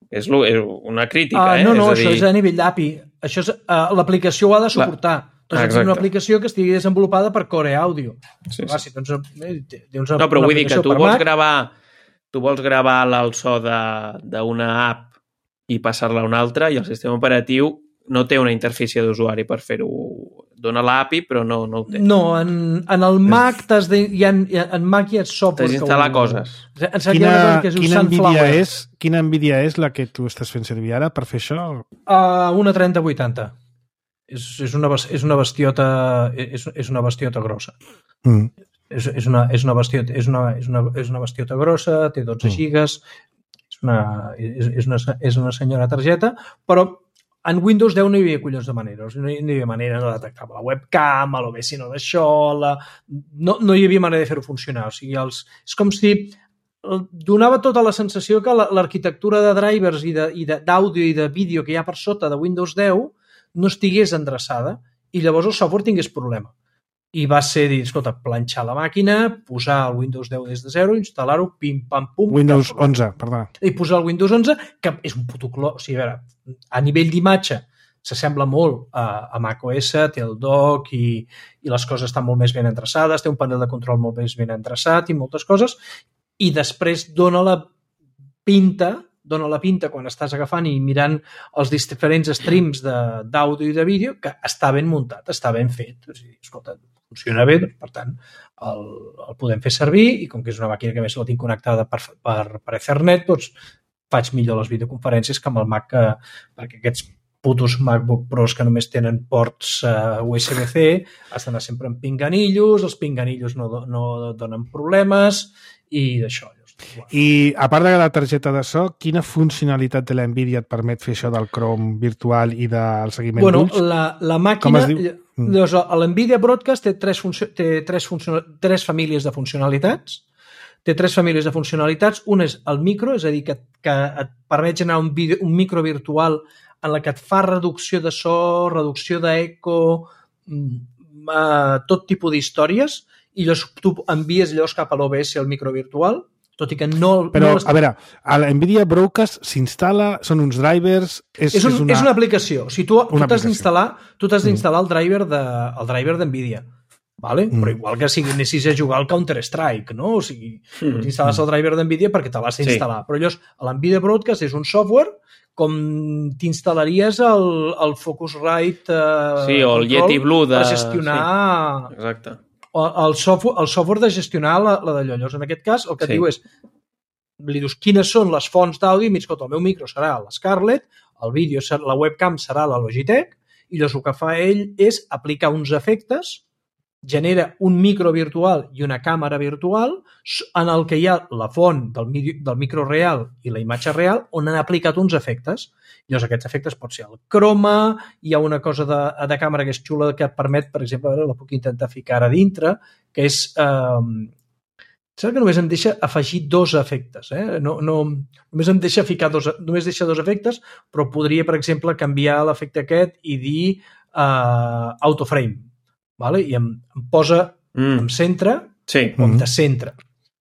És, lo, és una crítica, uh, eh? No, no, és a dir... això és a nivell d'A P I. Això és, uh, l'aplicació ho ha de suportar. La... Doncs és una aplicació que estigui desenvolupada per Core Audio. Sí, Clar, sí. Si tens, tens no, però vull dir que tu vols Mac... gravar tu vols gravar el so d'una app i passar-la a una altra i el sistema operatiu no té una interfície d'usuari per fer-ho. Dona l'A P I, però no, no ho té. No, en, en el Mac t'has de, hi ha, en Mac hi ha software. T'has d'instal·lar coses. Quina, quina, Nvidia és, quina Nvidia és la que tu estàs fent servir ara per fer això? Uh, una trenta vuitanta. És, és, una, és una bestiota és, és una bestiota grossa. Mm. És, és, una, és, una bestiota, és, una, és, una, és una bestiota grossa, té dotze mm. gigas, és una, és, és, una, és una senyora targeta, però en Windows deu no hi havia collons de manera, no hi havia manera de detectar la webcam, l'O B S no d'això, la... no, no hi havia manera de fer-ho funcionar. O sigui, els, és com si donava tota la sensació que l'arquitectura de drivers i d'àudio i, i de vídeo que hi ha per sota de Windows deu no estigués endreçada i llavors el software tingués problema. I va ser dir, escolta, planxar la màquina, posar el Windows deu des de zero, instal·lar-ho, pim, pam, pum... Windows onze, perdó. I posar el Windows onze, que és un puto cló. O sigui, a veure, a nivell d'imatge s'assembla molt a, a macOS, té el dock i, i les coses estan molt més ben endreçades, té un panel de control molt més ben endreçat i moltes coses, i després dona la pinta dona la pinta quan estàs agafant i mirant els diferents streams d'àudio i de vídeo que està ben muntat, està ben fet. O sigui, escolta, funciona bé, doncs, per tant, el, el podem fer servir i com que és una màquina que més la tinc connectada per, per, per Ethernet, doncs faig millor les videoconferències que amb el Mac, que, perquè aquests putos MacBook Pros que només tenen ports uh, U S B C has d'anar sempre amb pinganillos, els pinganillos no, no donen problemes i d'això. I a part de la targeta de so, quina funcionalitat de la Nvidia et permet fer això del Chrome virtual i del seguiment bueno, d'ulls? La, la màquina... Llavors, l'Nvidia Broadcast té, tres, té tres, tres famílies de funcionalitats. Té tres famílies de funcionalitats. Un és el micro, és a dir, que, que et permet generar un, video, un micro virtual en la que et fa reducció de so, reducció d'eco, uh, tot tipus d'històries i llavors tu envies llavors cap a l'O B S el micro virtual, tot i que no... Però, no a veure, a la NVIDIA Broadcast s'instal·la, són uns drivers... És, és, un, és, una... és una aplicació. O sigui, tu, tu t'has d'instal·lar tu t'has d'instal·lar mm. el driver de, el driver d'NVIDIA. Vale? Mm. Però igual que si anessis a jugar al Counter-Strike, no? O sigui, mm. tu t'instal·les el driver d'NVIDIA perquè te l'has d'instal·lar. Sí. Però llavors, l'NVIDIA Broadcast és un software com t'instal·laries el, el Focusrite eh, sí, o el Yeti Blue de... per gestionar... Sí. Exacte. El software, el software de gestionar la, la d'allò. Llavors, en aquest cas, el que sí. diu és li dius quines són les fonts d'àudio i mig que el meu micro serà l'Scarlett, el vídeo, la webcam serà la Logitech, i llavors el que fa ell és aplicar uns efectes, genera un micro virtual i una càmera virtual en el que hi ha la font del, del micro real i la imatge real on han aplicat uns efectes. Llavors aquests efectes pot ser el croma, hi ha una cosa de, de càmera que és xula que et permet, per exemple, a veure, la puc intentar ficar ara dintre, que és... Eh, sembla que només em deixa afegir dos efectes. Eh? No, no, només em deixa ficar dos, només deixa dos efectes, però podria, per exemple, canviar l'efecte aquest i dir eh, autoframe. Vale? I em, em posa mm. em centre sí. o em descentra.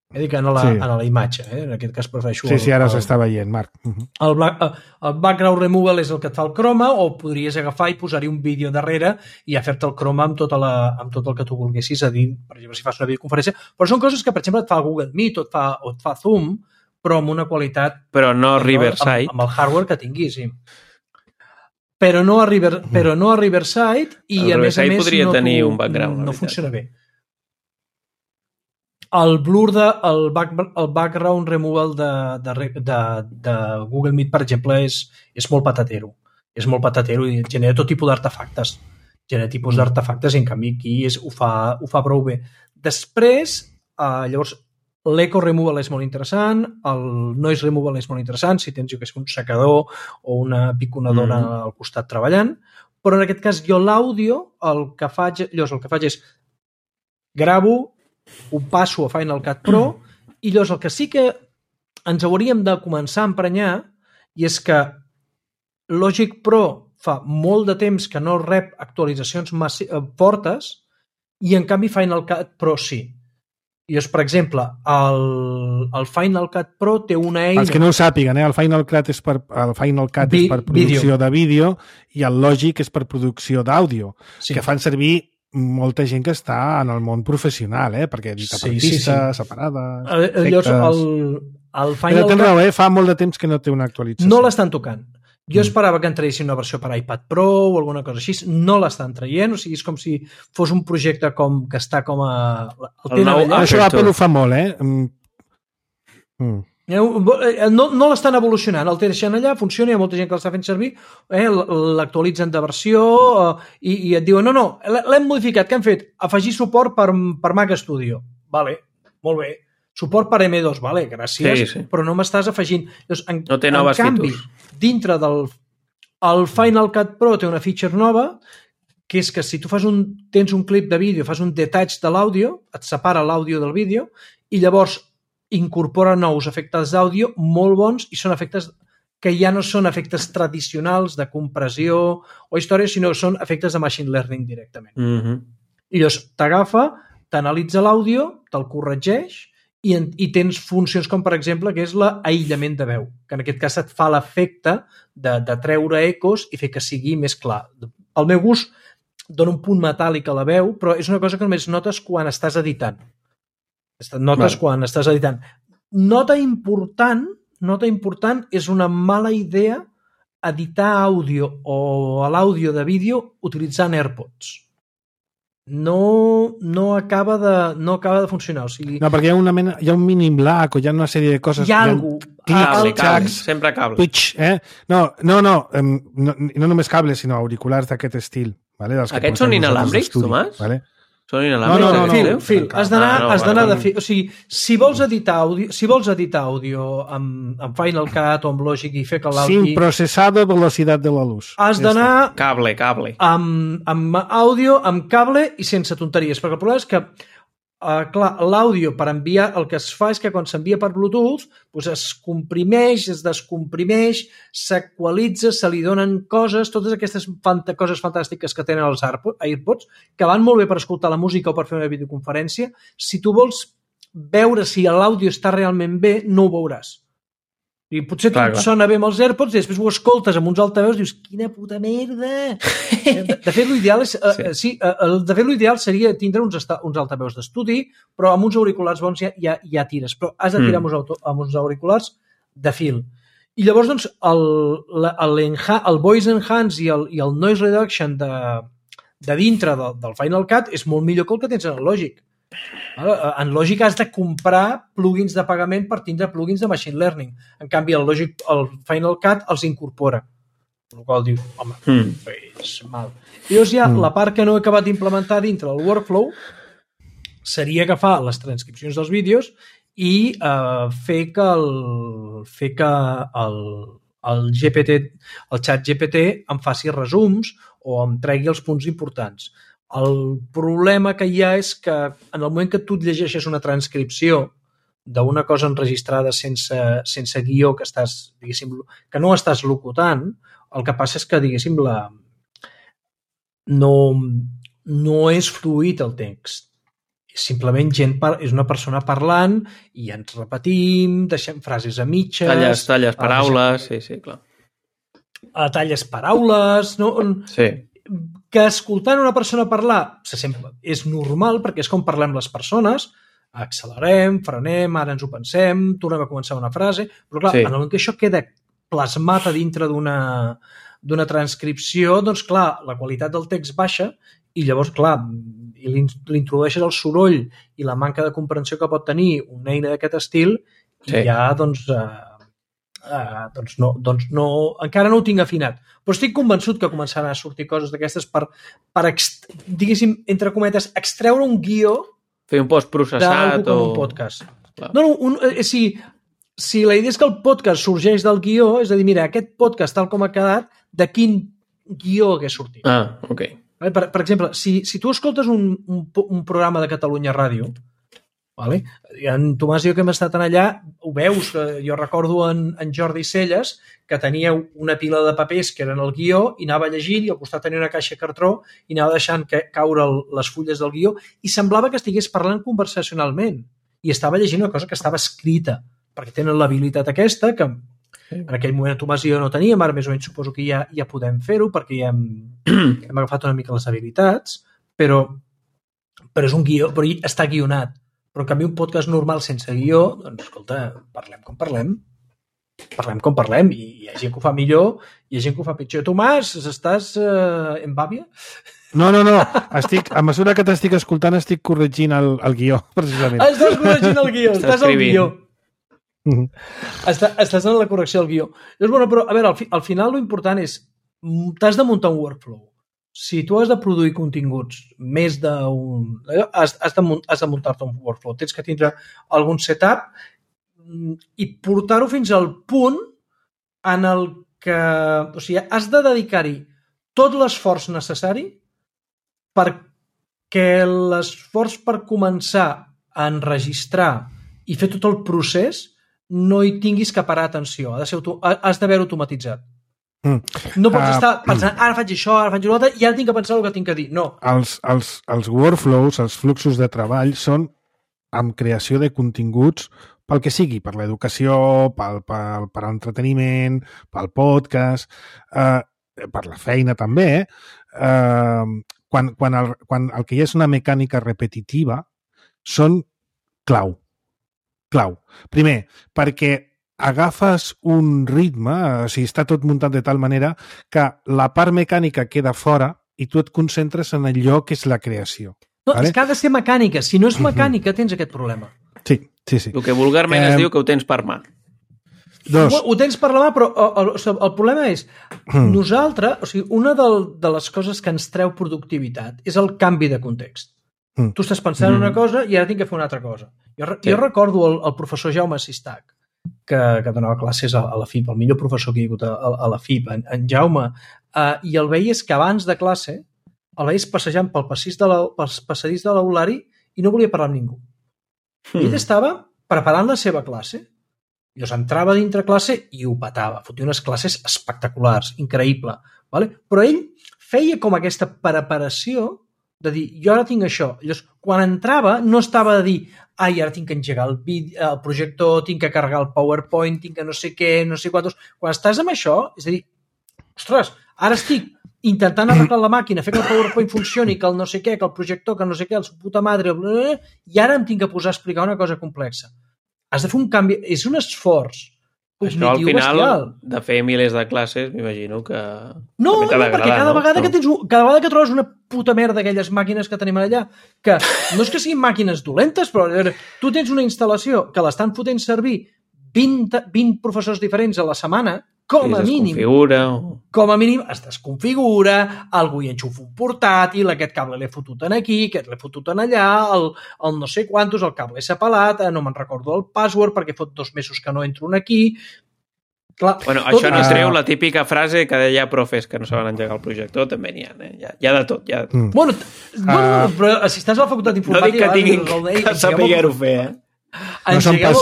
He dit que en la, sí. en la imatge. Eh? En aquest cas prefereixo... Sí, el, sí, ara el, s'està veient, Marc. Uh -huh. el, black, el background removal és el que et fa el croma, o podries agafar i posar-hi un vídeo darrere i a fer-te el croma amb, tota la, amb tot el que tu volguessis a dir, per exemple, si fas una videoconferència. Però són coses que, per exemple, et fa Google Meet o et fa, o et fa Zoom, però amb una qualitat... Però no Riverside. Amb, amb el hardware que tinguis, sí. Però no a, River, però no a Riverside i, el a més a més, podria no, tenir tu, un background, no funciona bé. El blur de, el, back, el background removal de, de, de, de Google Meet, per exemple, és, és molt patatero. És molt patatero i genera tot tipus d'artefactes. Genera tipus d'artefactes i, en canvi, aquí és, ho, fa, ho fa prou bé. Després, eh, llavors, l'eco removal és molt interessant, el noise removal és molt interessant, si tens, jo que sé, un secador o una piconadora mm. al costat treballant, però en aquest cas jo l'àudio, el que faig, llavors el que faig és gravo, ho passo a Final Cut Pro i llavors el que sí que ens hauríem de començar a emprenyar i és que Logic Pro fa molt de temps que no rep actualitzacions fortes i en canvi Final Cut Pro sí. I llavors, per exemple, el, el Final Cut Pro té una eina... Els que no ho sàpiguen, eh? el Final Cut és per, el Final Cut Vi, és per producció vídeo. de vídeo i el Logic és per producció d'àudio, sí. que fan servir molta gent que està en el món professional, eh? perquè edita per sí, pistes, sí, sí. separades, efectes... Llavors, el, el Final Cut... Raó, eh? Fa molt de temps que no té una actualització. No l'estan tocant. Jo esperava que en traguessin una versió per iPad Pro o alguna cosa així. No l'estan traient, o sigui, és com si fos un projecte com que està com a... El el nou, això Apple ho fa molt, eh? Mm. No, no l'estan evolucionant, el deixen allà, funciona, hi ha molta gent que l'està fent servir, eh, l'actualitzen de versió eh, i, i et diuen, no, no, l'hem modificat, què han fet? Afegir suport per, per Mac Studio. Vale, molt bé. Suport per eme dos, vale, gràcies, sí, sí. però no m'estàs afegint. Llavors, en, no té noves en canvi, features. Dintre del el Final Cut Pro té una feature nova, que és que si tu fas un, tens un clip de vídeo, fas un detach de l'àudio, et separa l'àudio del vídeo, i llavors incorpora nous efectes d'àudio molt bons i són efectes que ja no són efectes tradicionals de compressió o història, sinó són efectes de machine learning directament. Mm-hmm. I llavors t'agafa, t'analitza l'àudio, te'l corregeix i, en, i tens funcions com, per exemple, que és l'aïllament de veu, que en aquest cas et fa l'efecte de, de treure ecos i fer que sigui més clar. Al meu gust dona un punt metàl·lic a la veu, però és una cosa que només notes quan estàs editant. Notes vale. Quan estàs editant. Nota important, nota important és una mala idea editar àudio o l'àudio de vídeo utilitzant AirPods. No, no, acaba de, no acaba de funcionar. O sigui, no, perquè hi ha, una mena, hi ha un mínim lag o hi ha una sèrie de coses... Hi ha algú... Cable, cable, sempre cable. Twitch, eh? No, no, no, no, no només cables, sinó auriculars d'aquest estil. Vale? Dels Aquests són inalàmbrics, Tomàs? Vale? Són inalàmbrics? No, no, no, Fil, no. fil. Has d'anar ah, no, has d'anar vale, de fil. O sigui, si vols editar àudio, si vols editar àudio amb, amb Final Cut o amb Logic i fer que l'àudio... Sin processado velocidad de la luz. Has d'anar... Cable, cable. Amb, amb àudio, amb cable i sense tonteries, perquè el problema és que Uh, clar, l'àudio per enviar, el que es fa és que quan s'envia per Bluetooth doncs es comprimeix, es descomprimeix, s'equalitza, se li donen coses, totes aquestes fant- coses fantàstiques que tenen els AirPods, que van molt bé per escoltar la música o per fer una videoconferència. Si tu vols veure si l'àudio està realment bé, no ho veuràs. I potser clar, tot clar. Sona bé amb els AirPods i després ho escoltes amb uns altaveus i dius, quina puta merda! De fet, l'ideal és, sí. Uh, sí, uh, de fet, l'ideal seria tindre uns, uns altaveus d'estudi, però amb uns auriculars bons ja, ja, ja tires. Però has de tirar mm. amb, uns auto, amb uns auriculars de fil. I llavors, doncs, el, el, el voice enhance i el, i el noise reduction de, de dintre del, del Final Cut és molt millor que el que tens en el Logic. En Logic has de comprar plugins de pagament per tindre plugins de machine learning. En canvi, el Logic, el Final Cut els incorpora. El qual diu, home, mm. és mal. I llavors ja mm. la part que no he acabat d'implementar dintre del workflow seria agafar les transcripcions dels vídeos i uh, fer que el fer que el, el G P T, el xat G P T em faci resums o em tregui els punts importants. El problema que hi ha és que en el moment que tu et llegeixes una transcripció d'una cosa enregistrada sense, sense guió que, estàs, diguéssim, que no estàs locutant, el que passa és que, diguéssim, la... no, no és fluid el text. Simplement gent par... és una persona parlant i ens repetim, deixem frases a mitges... Talles, talles paraules, deixem... sí, sí, clar. Talles paraules... No? Sí. Que escoltant una persona parlar se sent, és normal perquè és com parlem les persones, accelerem, frenem, ara ens ho pensem, tornem a començar una frase, però clar, sí. En el moment que això queda plasmat a dintre d'una d'una transcripció, doncs clar, la qualitat del text baixa i llavors, clar, li introdueixes el soroll i la manca de comprensió que pot tenir una eina d'aquest estil i sí. Ja, doncs... Eh, Uh, doncs, no, doncs no, encara no ho tinc afinat, però estic convençut que començaran a sortir coses d'aquestes per, per ext, diguéssim, entre cometes, extreure un guió fer un postprocessat o... un podcast. Clar. No, no, un, eh, si, si la idea és que el podcast sorgeix del guió, és a dir, mira, aquest podcast tal com ha quedat, de quin guió hagués sortit. Ah, ok. Per, per exemple, si, si tu escoltes un, un, un programa de Catalunya Ràdio, vale? En Tomàs i jo que hem estat allà ho veus, jo recordo en, en Jordi Celles que tenia una pila de papers que eren el guió i anava llegint i al costat tenia una caixa de cartró i anava deixant que, caure el, les fulles del guió i semblava que estigués parlant conversacionalment i estava llegint una cosa que estava escrita perquè tenen l'habilitat aquesta que en aquell moment Tomàs i jo no teníem, ara més o menys suposo que ja, ja podem fer-ho perquè ja hem, hem agafat una mica les habilitats, però, però és un guió, però està guionat. Però en canvi un podcast normal sense guió, doncs escolta, parlem com parlem, parlem com parlem, i hi ha gent que ho fa millor, i hi ha gent que ho fa pitjor. Tomàs, estàs eh, en bàbia? No, no, no, estic, a mesura que t'estic escoltant estic corregint el, el guió, precisament. Estàs corregint el guió, estàs al guió. Mm-hmm. Estàs, estàs en la correcció del guió. Llavors, bueno, però, a veure, al, fi, al final lo important és, t'has de muntar un workflow. Si tu has de produir continguts més d'un... Has, has de, has de muntar-te un workflow. Tens que tindre algun setup i portar-ho fins al punt en el que... O sigui, has de dedicar-hi tot l'esforç necessari perquè l'esforç per començar a enregistrar i fer tot el procés no hi tinguis que parar atenció. Ha de ser, has d'haver automatitzat. Mm. No pots uh, estar pensant, ara faig això, ara faig allò, i ara tinc que pensar el que tinc que dir. No. Els, els, els workflows, els fluxos de treball són amb creació de continguts pel que sigui, per l'educació, pel, pel, per l'entreteniment, pel podcast, eh, per la feina també. Eh, quan, quan, el, quan el que hi ha és una mecànica repetitiva, són clau. Clau. Primer, perquè agafes un ritme, o sigui, està tot muntat de tal manera que la part mecànica queda fora i tu et concentres en allò que és la creació. No, vale? És que ha de ser mecànica. Si no és mecànica, tens aquest problema. Sí, sí, sí. El que vulgarment eh... es diu que ho tens per mà. Dos. Ho, ho tens per la mà, però el, el, el problema és nosaltres, o sigui, una de, de les coses que ens treu productivitat és el canvi de context. Mm. Tu estàs pensant en una cosa i ara tinc que fer una altra cosa. Jo, sí. jo recordo el, el professor Jaume Sistac, que, que donava classes a, a la F I P, el millor professor que hi ha hagut a, a la F I P, en, en Jaume, uh, i el veies que abans de classe el veies passejant pel passadís de la, pel passadís de l'aulari i no volia parlar amb ningú. Mm. Ell estava preparant la seva classe, llavors entrava dintre classe i ho petava, fotia unes classes espectaculars, increïble, vale? Però ell feia com aquesta preparació de dir, jo ara tinc això. Llavors, quan entrava, no estava de dir, ai, ara tinc que engegar el, vídeo, el projector, tinc que carregar el PowerPoint, tinc que no sé què, no sé quantos... Quan estàs amb això, és a dir, ostres, ara estic intentant arreglar la màquina, fer que el PowerPoint funcioni, que el no sé què, que el projector, que no sé què, el su puta madre, i ara em tinc que posar a explicar una cosa complexa. Has de fer un canvi... És un esforç això al final bestial. De fer milers de classes m'imagino que no, no, perquè cada, no? vegada que tens, cada vegada que trobes una puta merda d'aquelles màquines que tenim allà, que no és que siguin màquines dolentes, però tu tens una instal·lació que l'estan fotent servir vint, vint professors diferents a la setmana, com a mínim com a mínim es desconfigura, algú hi enxufa un portàtil, aquest cable l'he fotut en aquí, aquest l'he fotut en allà, el, el no sé quantos, el cable s'ha pelat, no me'n recordo el password perquè fot dos mesos que no entro en aquí. Clar, bueno, tot... això no es treu la típica frase que deia profes que no saben engegar el projector, també n'hi ha, eh? Hi ha, hi ha de tot. Hi ha... Mm. Bueno, uh... bueno, però si estàs a la facultat d'informàtica... No dic que tinguin que saber-ho fer, eh? No són pas,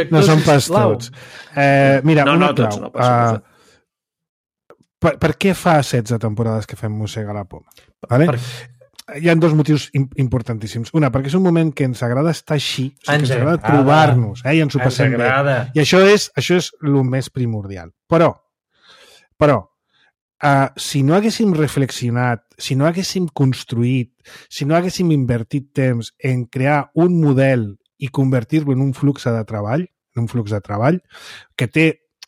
no són pas tots. Eh, mira, no, una no, clau. Tots, no, pas, uh, per, per què fa setze temporades que fem Mossega la Poma? Vale? Per... Hi ha dos motius importantíssims. Una, perquè és un moment que ens agrada estar així, o sigui, ens, ens agrada trobar-nos, eh, i ens ho passem bé. I això és, això és el més primordial. Però, però uh, si no haguéssim reflexionat, si no haguéssim construït, si no haguéssim invertit temps en crear un model i convertir-lo en un flux de treball, en un flux de treball, que té,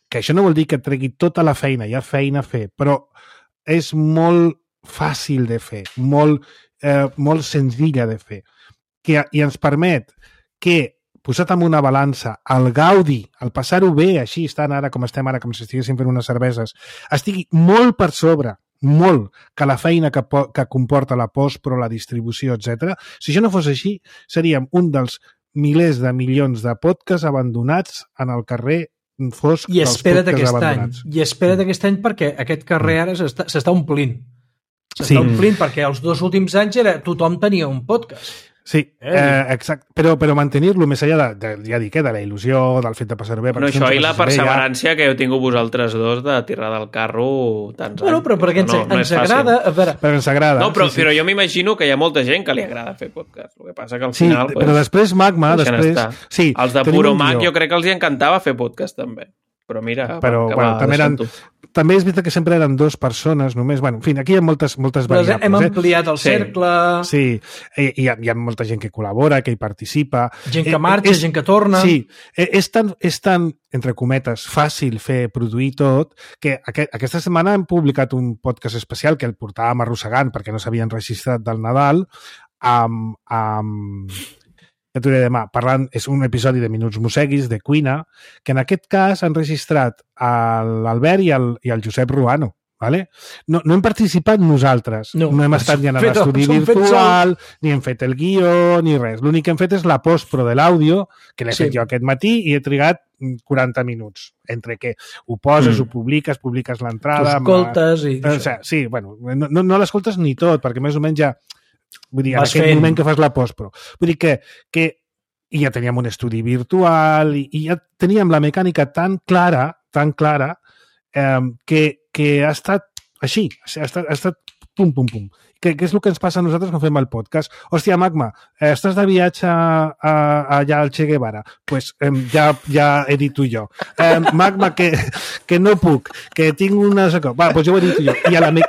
que això no vol dir que tregui tota la feina, hi ha feina a fer, però és molt fàcil de fer, molt, eh, molt senzilla de fer, que, i ens permet que, posat en una balança, el gaudi, el passar-ho bé, així estan ara com estem ara, com si estiguéssim fent unes cerveses, estigui molt per sobre, molt, que la feina que, que comporta la postpro, la distribució, etcètera. Si això no fos així, seríem un dels milers de milions de podcasts abandonats en el carrer fosc I dels podcasts abandonats. Any, I espera't aquest any perquè aquest carrer ara s'està omplint. S'està sí. omplint perquè els dos últims anys era, tothom tenia un podcast. Sí, eh, exacte. Però, però mantenir-lo més enllà de, de, ja dic, eh, de la il·lusió, del fet de passar-ho bé... No, això i la perseverància ja... que heu tingut vosaltres dos de tirar del carro tants bueno, anys. Però perquè ens, no, no ens agrada... A veure... Però ens agrada. No, però, sí, sí. però jo m'imagino que hi ha molta gent que li agrada fer podcast. El que passa que al sí, final... Sí, però pues, després Magma... Després, sí, els de Puro Mac jo crec que els hi encantava fer podcast també. Però mira, però, bueno, també, eren, també és veritat que sempre eren dues persones només, bueno, en fi, aquí hi ha moltes, moltes però variables. Hem ampliat el sí. cercle... Sí, i, hi, ha, hi ha molta gent que col·labora, que hi participa... Gent que marxa, és, gent que torna... Sí, és tan, és tan, entre cometes, fàcil fer, produir tot, que aquest, aquesta setmana hem publicat un podcast especial que el portàvem arrossegant perquè no s'havien registrat del Nadal, amb... amb ja t'ho diré demà, parlant, és un episodi de Minuts Mosseguis, de cuina, que en aquest cas han registrat l'Albert i, el, i el Josep Ruano. Vale? No, no hem participat nosaltres, no, no hem estat ni en l'estudi virtual, ni hem fet el guió, ni res. L'únic que hem fet és la postpro de l'àudio, que l'he sí. fet jo aquest matí i he trigat quaranta minuts, entre que ho poses, mm. ho publiques, publiques l'entrada... T'ho escoltes i... O sigui, sí, bueno, no, no l'escoltes ni tot, perquè més o menys ja... Vull dir, en Vas aquest fent. moment que fas la postpro. Vull dir que, que ja teníem un estudi virtual i, i ja teníem la mecànica tan clara, tan clara, eh, que, que ha estat així, ha estat, ha estat pum, pum, pum. Que, que és el que ens passa a nosaltres quan fem el podcast. Hòstia, Magma, eh, estàs de viatge a, a, allà al Che Guevara? Doncs pues, eh, ja, ja he dit tu i jo. Eh, Magma, que, que no puc, que tinc una... Va, doncs pues jo ho he dit tu i jo. I a la... Me...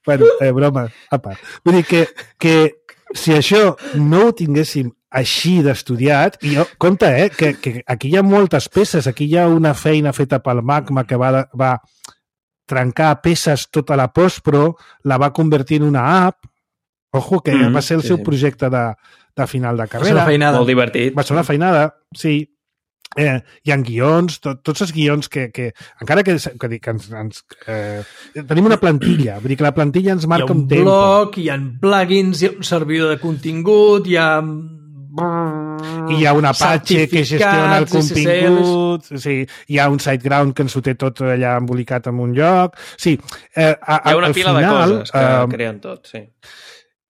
bueno, eh, broma a part. Vull dir que, que si això no ho tinguéssim així d'estudiat, i jo, compte, eh, que, que aquí hi ha moltes peces, aquí hi ha una feina feta pel Magma que va, va trencar a peces tota la postpro, la va convertir en una app, ojo, que mm, va ser el sí, seu projecte de, de final de carrera. Va ser una feinada. Molt divertit. Va ser una feinada, sí. Eh, hi ha guions, tot, tots els guions que, que encara que, que, que ens, ens eh, tenim una plantilla, vull dir que la plantilla ens marca un, un tempo. Hi ha un blog, hi ha plugins, hi ha un servidor de contingut, hi ha i hi ha un Apache que gestiona el contingut, sí, hi ha un SiteGround que ens ho té tot allà embolicat en un lloc. Sí, eh, a, hi ha una pila final, de coses que eh, creen tot, sí.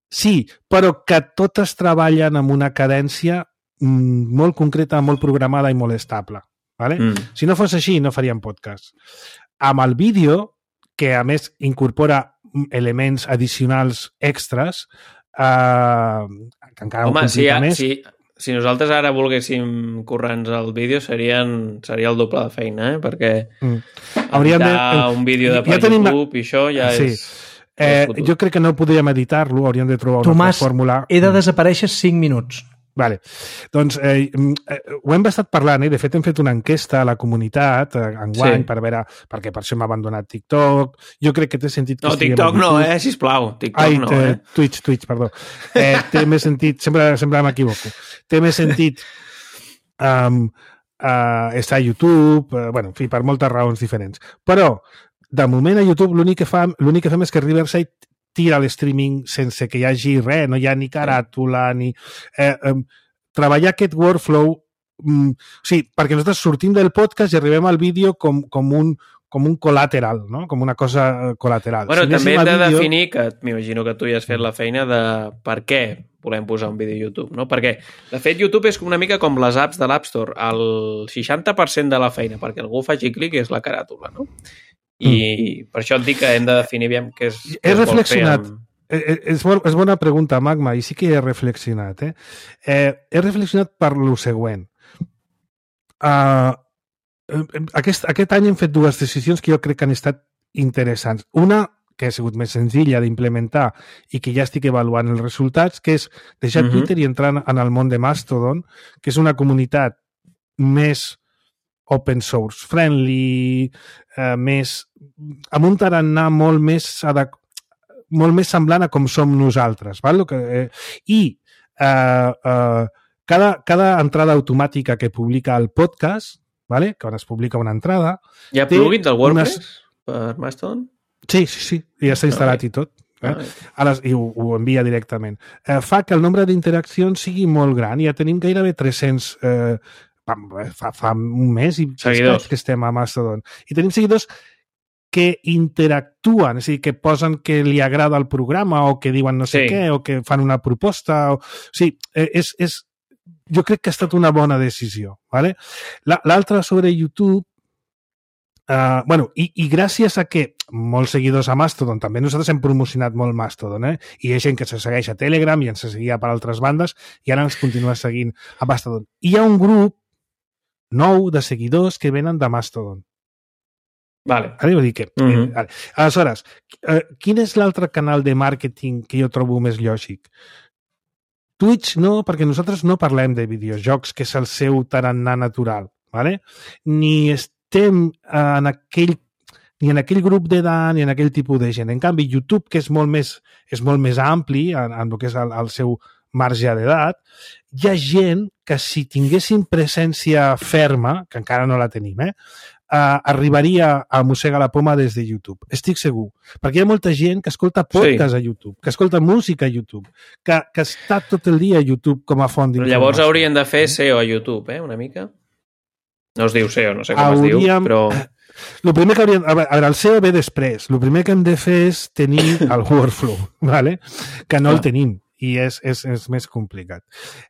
Sí, però que totes treballen amb una cadència molt concreta, molt programada i molt estable. Vale? Mm. Si no fos així, no faríem podcast. Amb el vídeo, que a més incorpora elements addicionals extras, eh, que encara Home, ho complica si, ha, més. Si, si nosaltres ara volguéssim currar-nos el vídeo, serien, seria el doble de feina, eh? Perquè mm. hauríem de... un vídeo de per ja tenim... YouTube i això ja sí. és... Eh, jo crec que no podríem editar-lo, hauríem de trobar una Tomàs, fórmula. Tomàs, he de desaparèixer cinc minuts. Vale. Doncs eh, eh, ho hem estat parlant, eh? De fet hem fet una enquesta a la comunitat eh, enguany sí. per veure, perquè per això hem abandonat TikTok. Jo crec que té sentit que no, TikTok no, eh, sisplau. TikTok Ai, no, eh? eh? Twitch, Twitch, perdó. Eh, té més sentit, sempre, sempre m'equivoco. Té més sentit um, uh, estar a YouTube, uh, bueno, en fi, per moltes raons diferents. Però, de moment a YouTube l'únic que, fa, l'únic que fem és que Riverside tira l'streaming sense que hi hagi res, no hi ha ni caràtula, ni... Eh, eh, treballar aquest workflow... Mm, sí, perquè nosaltres sortim del podcast i arribem al vídeo com, com, un, com un col·lateral, no? Com una cosa col·lateral. Bueno, si també hem de vídeo... definir, que m'imagino que tu ja has fet la feina de per què volem posar un vídeo a YouTube, no? Perquè, de fet, YouTube és una mica com les apps de l'App Store. El seixanta per cent de la feina perquè algú faci clic és la caràtula, no? I mm. per això et dic que hem de definir bé què és... He reflexionat. Amb... És, bo, és bona pregunta, Magma, i sí que he reflexionat. Eh? Eh, he reflexionat per lo següent. Uh, aquest, aquest any hem fet dues decisions que jo crec que han estat interessants. Una, que ha sigut més senzilla d'implementar i que ja estic avaluant els resultats, que és deixar mm-hmm. Twitter i entrar en el món de Mastodon, que és una comunitat més open source friendly, eh, més, amb un tarannà molt més, adequ... molt més semblant a com som nosaltres. Val? Que, eh, I eh, eh, cada, cada entrada automàtica que publica el podcast, vale? Quan es publica una entrada... Hi ha plugins del WordPress unes... per Mastodon? Sí, sí, sí. Ja està instal·lat okay. i tot. Eh? A les, I ho, ho envia directament. Eh, fa que el nombre d'interaccions sigui molt gran. Ja tenim gairebé tres-cents... Eh, Fa, fa un mes i que estem a Mastodon. I tenim seguidors que interactuen, és a dir, que posen que li agrada el programa o que diuen no sé sí. què, o que fan una proposta. O... O sigui, és, és... jo crec que ha estat una bona decisió. ¿Vale? L'altra sobre YouTube, uh, bueno, i, i gràcies a que molts seguidors a Mastodon, també nosaltres hem promocionat molt Mastodon, eh? I hi ha gent que se segueix a Telegram i ens seguia per altres bandes i ara ens continua seguint a Mastodon. I hi ha un grup nou de seguidors que venen de Mastodon. Vale. Ara vull dir que... Mm-hmm. eh, vale. Aleshores, eh, quin és l'altre canal de màrqueting que jo trobo més lògic? Twitch no, perquè nosaltres no parlem de videojocs, que és el seu tarannà natural, ¿vale? Ni estem en aquell ni en aquell grup d'edat ni en aquell tipus de gent. En canvi, YouTube, que és molt més, és molt més ampli en, en el que és el, el seu marge d'edat, hi ha gent que si tinguessin presència ferma, que encara no la tenim, eh, uh, arribaria a mossegar la poma des de YouTube. Estic segur. Perquè hi ha molta gent que escolta podcast sí. a YouTube, que escolta música a YouTube, que, que està tot el dia a YouTube com a font d'informació. Però llavors haurien de fer S E O a YouTube, eh, una mica? No es diu S E O, no sé com hauríem... es diu, però... El primer que hauríem... A veure, el S E O ve després. El primer que hem de fer és tenir el workflow, ¿vale? Que no ah. el tenim. I és, és, és més complicat.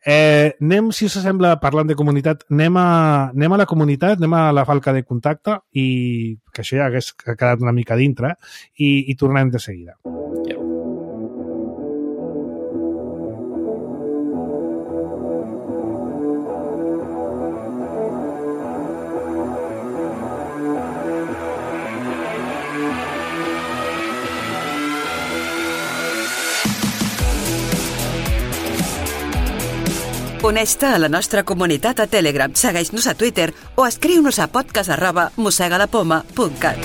Eh, anem, si us sembla, parlant de comunitat, anem a, anem a la comunitat, anem a la falca de contacte, i que això ja hagués quedat una mica dintre, i, i tornem de seguida. Yeah. Uneix-te a la nostra comunitat a Telegram, segueix-nos a Twitter o escriu-nos a podcast arroba mossegadapoma punt cat.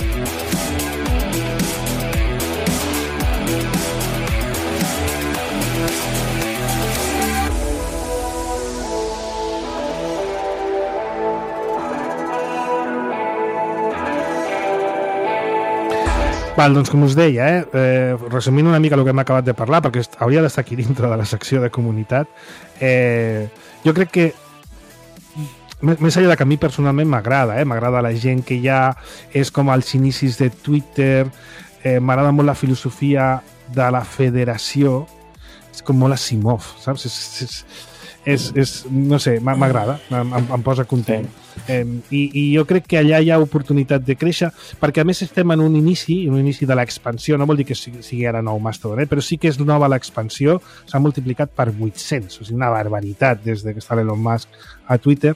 Val, doncs com us deia, eh, eh, resumint una mica el que hem acabat de parlar, perquè hauria d'estar aquí dintre de la secció de comunitat, eh, jo crec que més enllà que a mi personalment m'agrada, eh, m'agrada la gent que ja és com als inicis de Twitter, eh, m'agrada molt la filosofia de la federació, és com molt Asimov, saps? És, és, és, és no sé, m'agrada, em, em posa content. Eh, i, I jo crec que allà hi ha oportunitat de créixer, perquè a més estem en un inici, en un inici de l'expansió, no vol dir que sigui, sigui ara nou Mastodon, eh? Però sí que és nova l'expansió, s'ha multiplicat per vuit-cents, o sigui, una barbaritat des de que està l'Elon Musk a Twitter,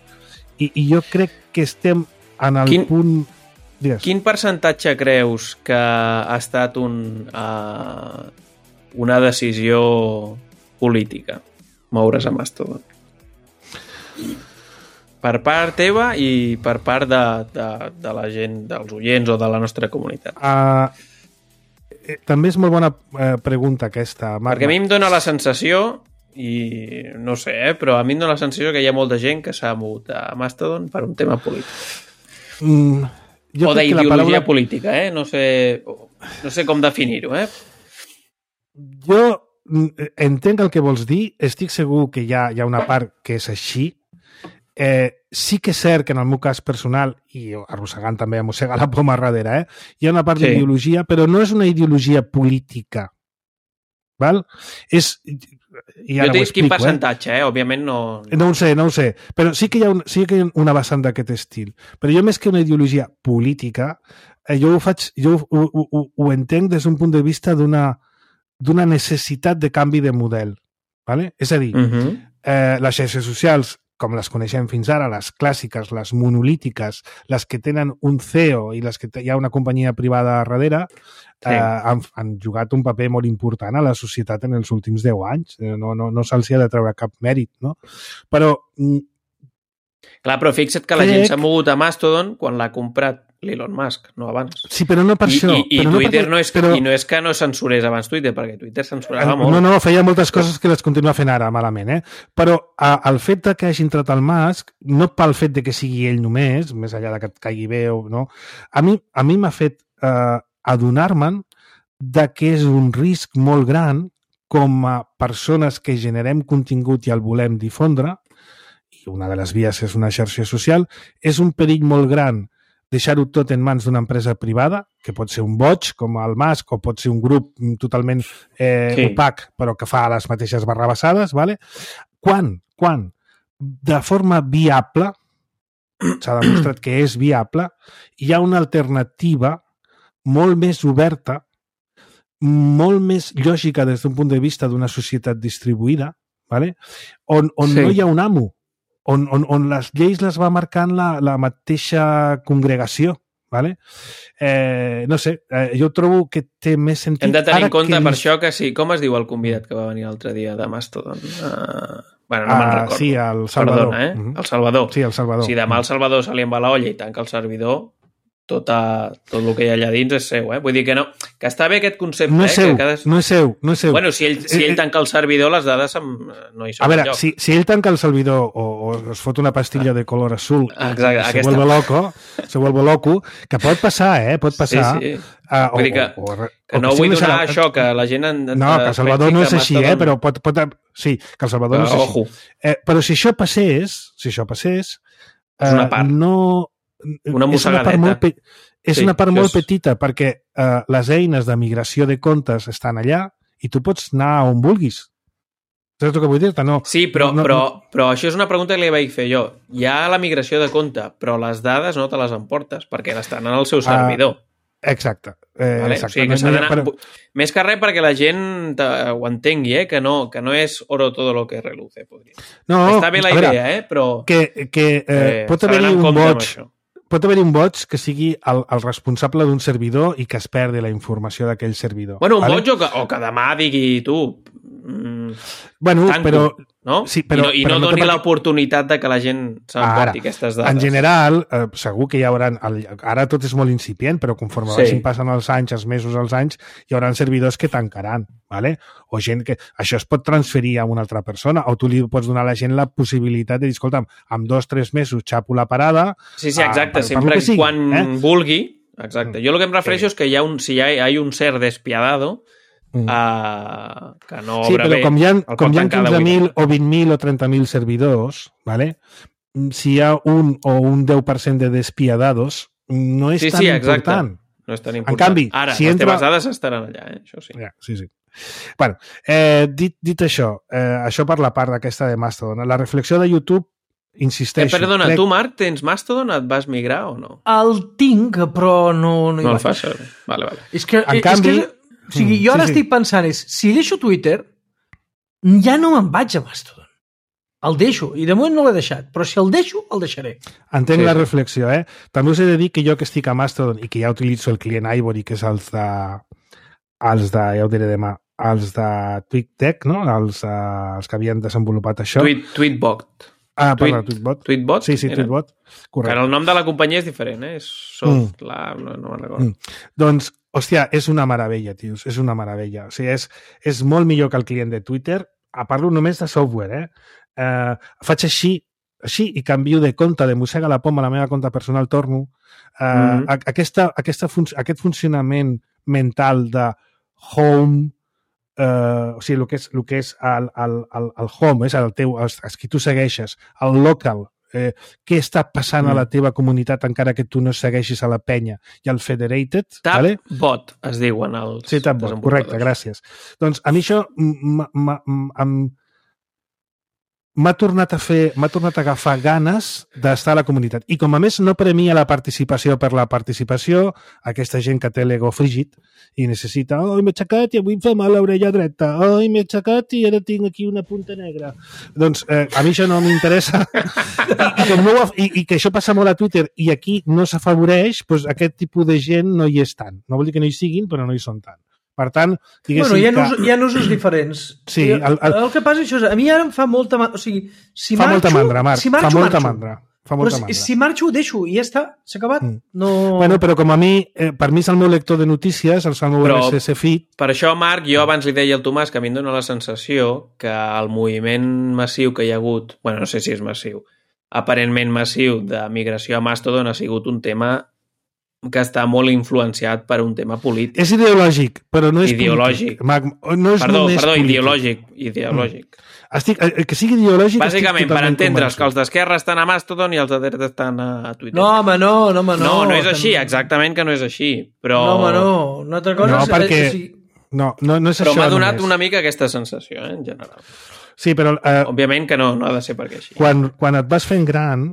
i, i jo crec que estem en el quin, punt... Digues. Quin percentatge creus que ha estat un, uh, una decisió política moure's a Mastodon? Per part teva i per part de, de, de la gent, dels oients o de la nostra comunitat. Uh, eh, també és molt bona eh, pregunta aquesta, Marc. Perquè a mi em dóna la sensació, i no sé, eh, però a mi em dóna la sensació que hi ha molta gent que s'ha mogut a Mastodon per un tema polític. Mm, o d'ideologia paraula... política, eh? No sé, no sé com definir-ho, eh? Jo entenc el que vols dir, estic segur que hi ha, hi ha una part que és així. Eh, sí que és cert que en el meu cas personal, i arrossegant també a mossegar la poma darrere, eh, hi ha una part sí. d'ideologia, però no és una ideologia política. Val? És... I jo t'he dit quin percentatge, eh? eh? Òbviament no... No ho sé, no ho sé. Però sí que hi ha, un, sí que hi ha una vessant d'aquest estil. Però jo, més que una ideologia política, eh, jo ho faig, jo ho, ho, ho, ho entenc des d'un punt de vista d'una d'una necessitat de canvi de model. Vale? És a dir, uh-huh. eh, les xarxes socials, com les coneixem fins ara, les clàssiques, les monolítiques, les que tenen un C E O i les que hi ha una companyia privada darrere, sí. eh, han, han jugat un paper molt important a la societat en els últims deu anys. No, no, no se'ls ha de treure cap mèrit, no? Però... Clar, però fixa't que la crec... gent s'ha mogut a Mastodon quan l'ha comprat l'Elon Musk, no abans. Sí, però no per I, això. I, i però Twitter no, no és, però... i no és que no censurés abans Twitter, perquè Twitter censurava molt. No, no, feia moltes coses que les continua fent ara malament, eh? Però a, el fet de que hagi entrat el Musk, no pel fet de que sigui ell només, més enllà de que et caigui bé o no, a mi a mi m'ha fet eh, adonar-me'n de que és un risc molt gran com a persones que generem contingut i el volem difondre, i una de les vies és una xarxa social, és un perill molt gran deixar-ho tot en mans d'una empresa privada, que pot ser un boig, com el Musk, o pot ser un grup totalment eh, sí. opac, però que fa les mateixes barrabassades, ¿vale? Quan? Quan? De forma viable, s'ha demostrat que és viable, hi ha una alternativa molt més oberta, molt més lògica des d'un punt de vista d'una societat distribuïda, ¿vale? on, on sí. no hi ha un amo, On, on, on les lleis les va marcant la, la mateixa congregació. Vale? Eh, no sé, eh, jo trobo que té més sentit... Hem de tenir en compte que... per això que sí. Com es diu el convidat que va venir l'altre dia de Mastodon? Uh, bueno, no uh, me'n recordo. Sí, el Salvador. Perdona, eh? Uh-huh. El Salvador. Sí, el Salvador. Si demà el Salvador se li en va la olla i tanca el servidor, tot, a, tot el que hi ha allà dins és seu, eh? Vull dir que no, que està bé aquest concepte, no és seu, eh? Que cada... no és seu, no és seu. Bueno, si ell, si ell tanca el servidor, les dades no hi són. A veure, si, si ell tanca el servidor o, o es fot una pastilla de color azul, exacte, se aquesta... vuelve loco, se vuelve loco, que pot passar, eh? Pot passar. Sí, sí. Uh, vull dir que, o, o, o, que no o vull donar la... això, que la gent... En, no, que el Salvador no és així, eh? Però pot... pot sí, que el Salvador no és així. Eh, però si això passés, si això passés... És una part. Eh, no... Una mossegadeta. És una part molt, pe... és sí, una part molt és... petita, perquè eh, les eines de migració de comptes estan allà i tu pots anar on vulguis. Saps el que vull dir-te? No, sí, però, no, però, però això és una pregunta que li vaig fer jo. Hi ha la migració de compte, però les dades no te les emportes, perquè estan en el seu servidor. Uh, exacte. Eh, vale? exacte. O sigui, que no, no, però... Més que res perquè la gent ho entengui, eh? que, no, que no és oro todo lo que reluce. Podria. No, està bé la idea, veure, eh? però... Que, que eh, eh, pot haver-hi un boig... Pot haver-hi un boig que sigui el, el responsable d'un servidor i que es perdi la informació d'aquell servidor. Bueno, un vale? boig o que, o que demà digui tu... Mm, bueno, tanco, però... No? Sí, però, I no, i però no no doni perquè... l'oportunitat de que la gent s'emporti aquestes dades. En general, eh, segur que hi haurà... El, ara tot és molt incipient, però conforme sí. vagin passant els anys, els mesos, els anys, hi haurà servidors que tancaran, ¿vale? O gent que... Això es pot transferir a una altra persona, o tu li pots donar a la gent la possibilitat de dir, escolta'm, en dos o tres mesos xapo la parada... Sí, sí, exacte. Uh, per, sempre per sigui, quan eh? vulgui, exacte. Jo el que em refereixo és que hi ha un, si hi ha, hi ha un ser despiadado mm. uh, que no sí, obra bé, com hi ha, com hi ha quinze mil o vint mil o trenta mil servidors, ¿vale? Si hi ha un o un deu per cent de despiadados, no és sí, tan sí, important. No és tan important. En canvi, ara, si les entra... teves dades estaran allà, eh? Això sí. Ja, sí, sí. Bueno, eh, dit, dit això, eh, això per la part d'aquesta de Mastodon, la reflexió de YouTube, insisteixo... Eh, perdona, crec... tu, Marc, tens Mastodon? Et vas migrar o no? El tinc, però no, no hi no vaig. el fas servir. Vale, vale. És que, en és canvi... que, o sigui, jo ara sí, estic sí. pensant, és, si deixo Twitter, ja no me'n vaig a Mastodon. El deixo, i de moment no l'he deixat, però si el deixo, el deixaré. Entenc sí, la sí. reflexió, eh? També us he de dir que jo que estic a Mastodon i que ja utilitzo el client Ivory, que és els de... els de, ja ho diré demà, els de TweetDeck, no? Els, uh, els que havien desenvolupat això. Tweet, Tweetbot. Ah, Tweet, perdó, Tweetbot. Tweetbot? Sí, sí, Tweetbot. Correcte. Que el nom de la companyia és diferent, eh? Soft, mm. la... no, no me'n recordo. Mm. Doncs, hòstia, és una meravella, tios, és una meravella. O sigui, és, és molt millor que el client de Twitter. A parlo només de software, eh? Uh, faig així, així i canvio de compte, de mossega la poma a la meva compte personal, torno. Uh, mm. aquesta, aquesta fun aquest funcionament mental de home, uh, o sigui, el que és, el que és el, el, el, el home, és el teu, els, els que tu segueixes, el local, eh, què està passant mm. a la teva comunitat encara que tu no segueixis a la penya, i el federated... Tab vale? bot, es diuen els sí, tab bot, correcte, gràcies. Doncs a mi això m'ha tornat a fer, m'ha tornat a agafar ganes d'estar a la comunitat. I com a més no premia la participació per la participació, aquesta gent que té l'ego frígid i necessita, oh, m'he aixecat i avui em fa mal l'orella dreta, oh, m'he aixecat i ara tinc aquí una punta negra. Doncs eh, a mi això no m'interessa. I, i, no, i, I que això passa molt a Twitter i aquí no s'afavoreix, doncs aquest tipus de gent no hi és tant. No vol dir que no hi siguin, però no hi són tant. Per tant, diguéssim bueno, hi ha, que... usos, hi ha usos diferents. Sí, el, el... el que passa és això, a mi ara em fa molta... O sigui, si fa marxo, molta mandra, Marc, si marxo, fa molta marxo. mandra. Fa molta però mandra. si marxo ho deixo i ja està, s'ha acabat. Mm. No... Bueno, però com a mi, eh, per mi és el meu lector de notícies, el meu però, R S S feed... Per això, Marc, jo abans li deia al Tomàs que a mi em dóna la sensació que el moviment massiu que hi ha hagut, bueno, no sé si és massiu, aparentment massiu de migració a Mastodon ha sigut un tema que està molt influenciat per un tema polític. És ideològic, però no és ideològic. polític. No és perdó, només perdó, polític. ideològic. ideològic. Mm. Estic, que sigui ideològic... Bàsicament, per entendre's que els d'esquerra estan a Mastodon i els de dreta estan a Twitter. No, home, no, no, home, no. No, no és així, exactament que no és així, però... No, home, no. Una altra cosa no, és... perquè... és, és... No, no, no és però això m'ha donat només. una mica aquesta sensació, eh, en general. Sí, però... Eh, òbviament que no, no ha de ser perquè així. Quan, quan et vas fent gran,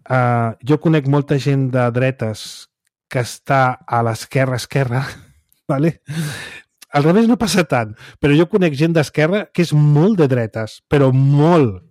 eh, jo conec molta gent de dretes que està a l'esquerra, esquerra, vale? Al revés no passa tant, però jo conec gent d'esquerra que és molt de dretes, però molt.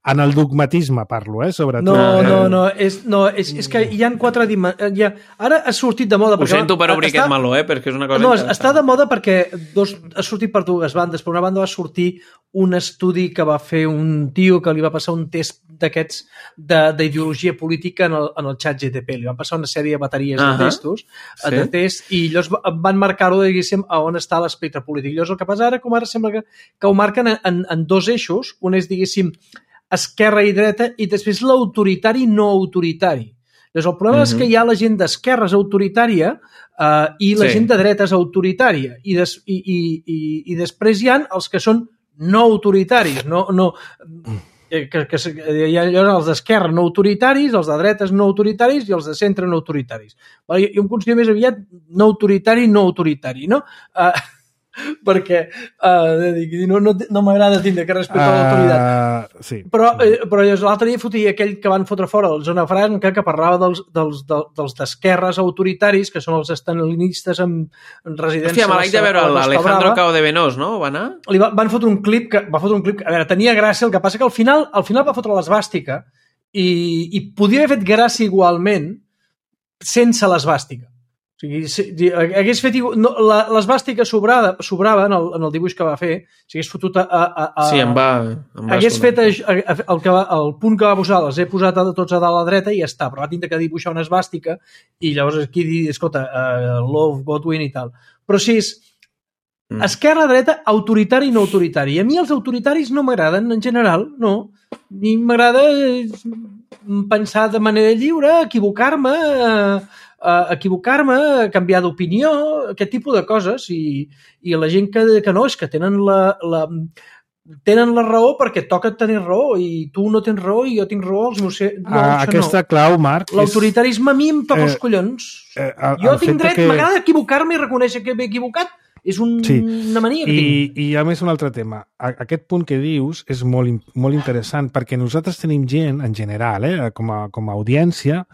En el dogmatisme parlo, eh, sobretot. No, no, no, és, no és, és que hi ha quatre dimensions... Ha, ara ha sortit de moda... Ho sento per obrir està, aquest meló, eh, perquè és una cosa no, està de moda perquè dos, ha sortit per dues bandes. Per una banda va sortir un estudi que va fer un tio que li va passar un test d'aquests d'ideologia política en el, en el xat G T P. Li van passar una sèrie de bateries uh -huh. de testos sí. de test, i llavors van marcar-ho, diguéssim, a on està l'espectre polític. Llavors el que passa ara, com ara sembla que, que ho marquen en, en dos eixos. Un és, diguéssim, esquerra i dreta, i després l'autoritari no autoritari. Llavors, el problema uh-huh. és que hi ha la gent d'esquerra és autoritària uh, i la sí. gent de dreta és autoritària. I, des, i, i, i, i després hi ha els que són no autoritaris. No, no, que, que, hi ha els d'esquerra no autoritaris, els de dretes no autoritaris i els de centre no autoritaris. Jo em considero més aviat no autoritari, no autoritari, no? Uh, perquè uh, no, no, no m'agrada tindre que respectar uh, l'autoritat. Sí. Però, eh, però l'altre dia fotia aquell que van fotre fora, el Zona Franca, que parlava dels, dels, dels d'esquerres autoritaris, que són els estalinistes amb residència... Hòstia, me l'haig de veure l'Alejandro Cao de Venós, no? Va anar? Li va, van fotre un clip, que, va fotre un clip que, a veure, tenia gràcia, el que passa que al final, al final va fotre l'esvàstica i, i podia haver fet gràcia igualment sense l'esvàstica. O sigui, si, hagués fet... No, l'esvàstica sobrava, sobrava en, el, en el dibuix que va fer, si hagués fotut a... a, a sí, em va... Em va hagués fet a, a, el, que va, el punt que va posar, els he posat a, tots a dalt a la dreta i ja està, però va tindre que dibuixar una esvàstica i llavors aquí dir, escolta, uh, love, Godwin i tal. Però si és mm. esquerra-dreta, autoritari i no autoritari. I a mi els autoritaris no m'agraden, en general, no. A mi m'agrada pensar de manera lliure, equivocar-me... Uh, uh, equivocar-me, canviar d'opinió, aquest tipus de coses, i, i la gent que, que no, és que tenen la, la, tenen la raó perquè toca tenir raó, i tu no tens raó i jo tinc raó, els meus... No, ah, aquesta no. Clau, Marc... L'autoritarisme és... a mi em toca eh, els collons. Eh, el, jo el tinc dret, que... m'agrada equivocar-me i reconèixer que m'he equivocat. És un, sí. una mania que I, tinc. I a més un altre tema. Aquest punt que dius és molt, molt interessant perquè nosaltres tenim gent, en general, eh, com, a, com a audiència,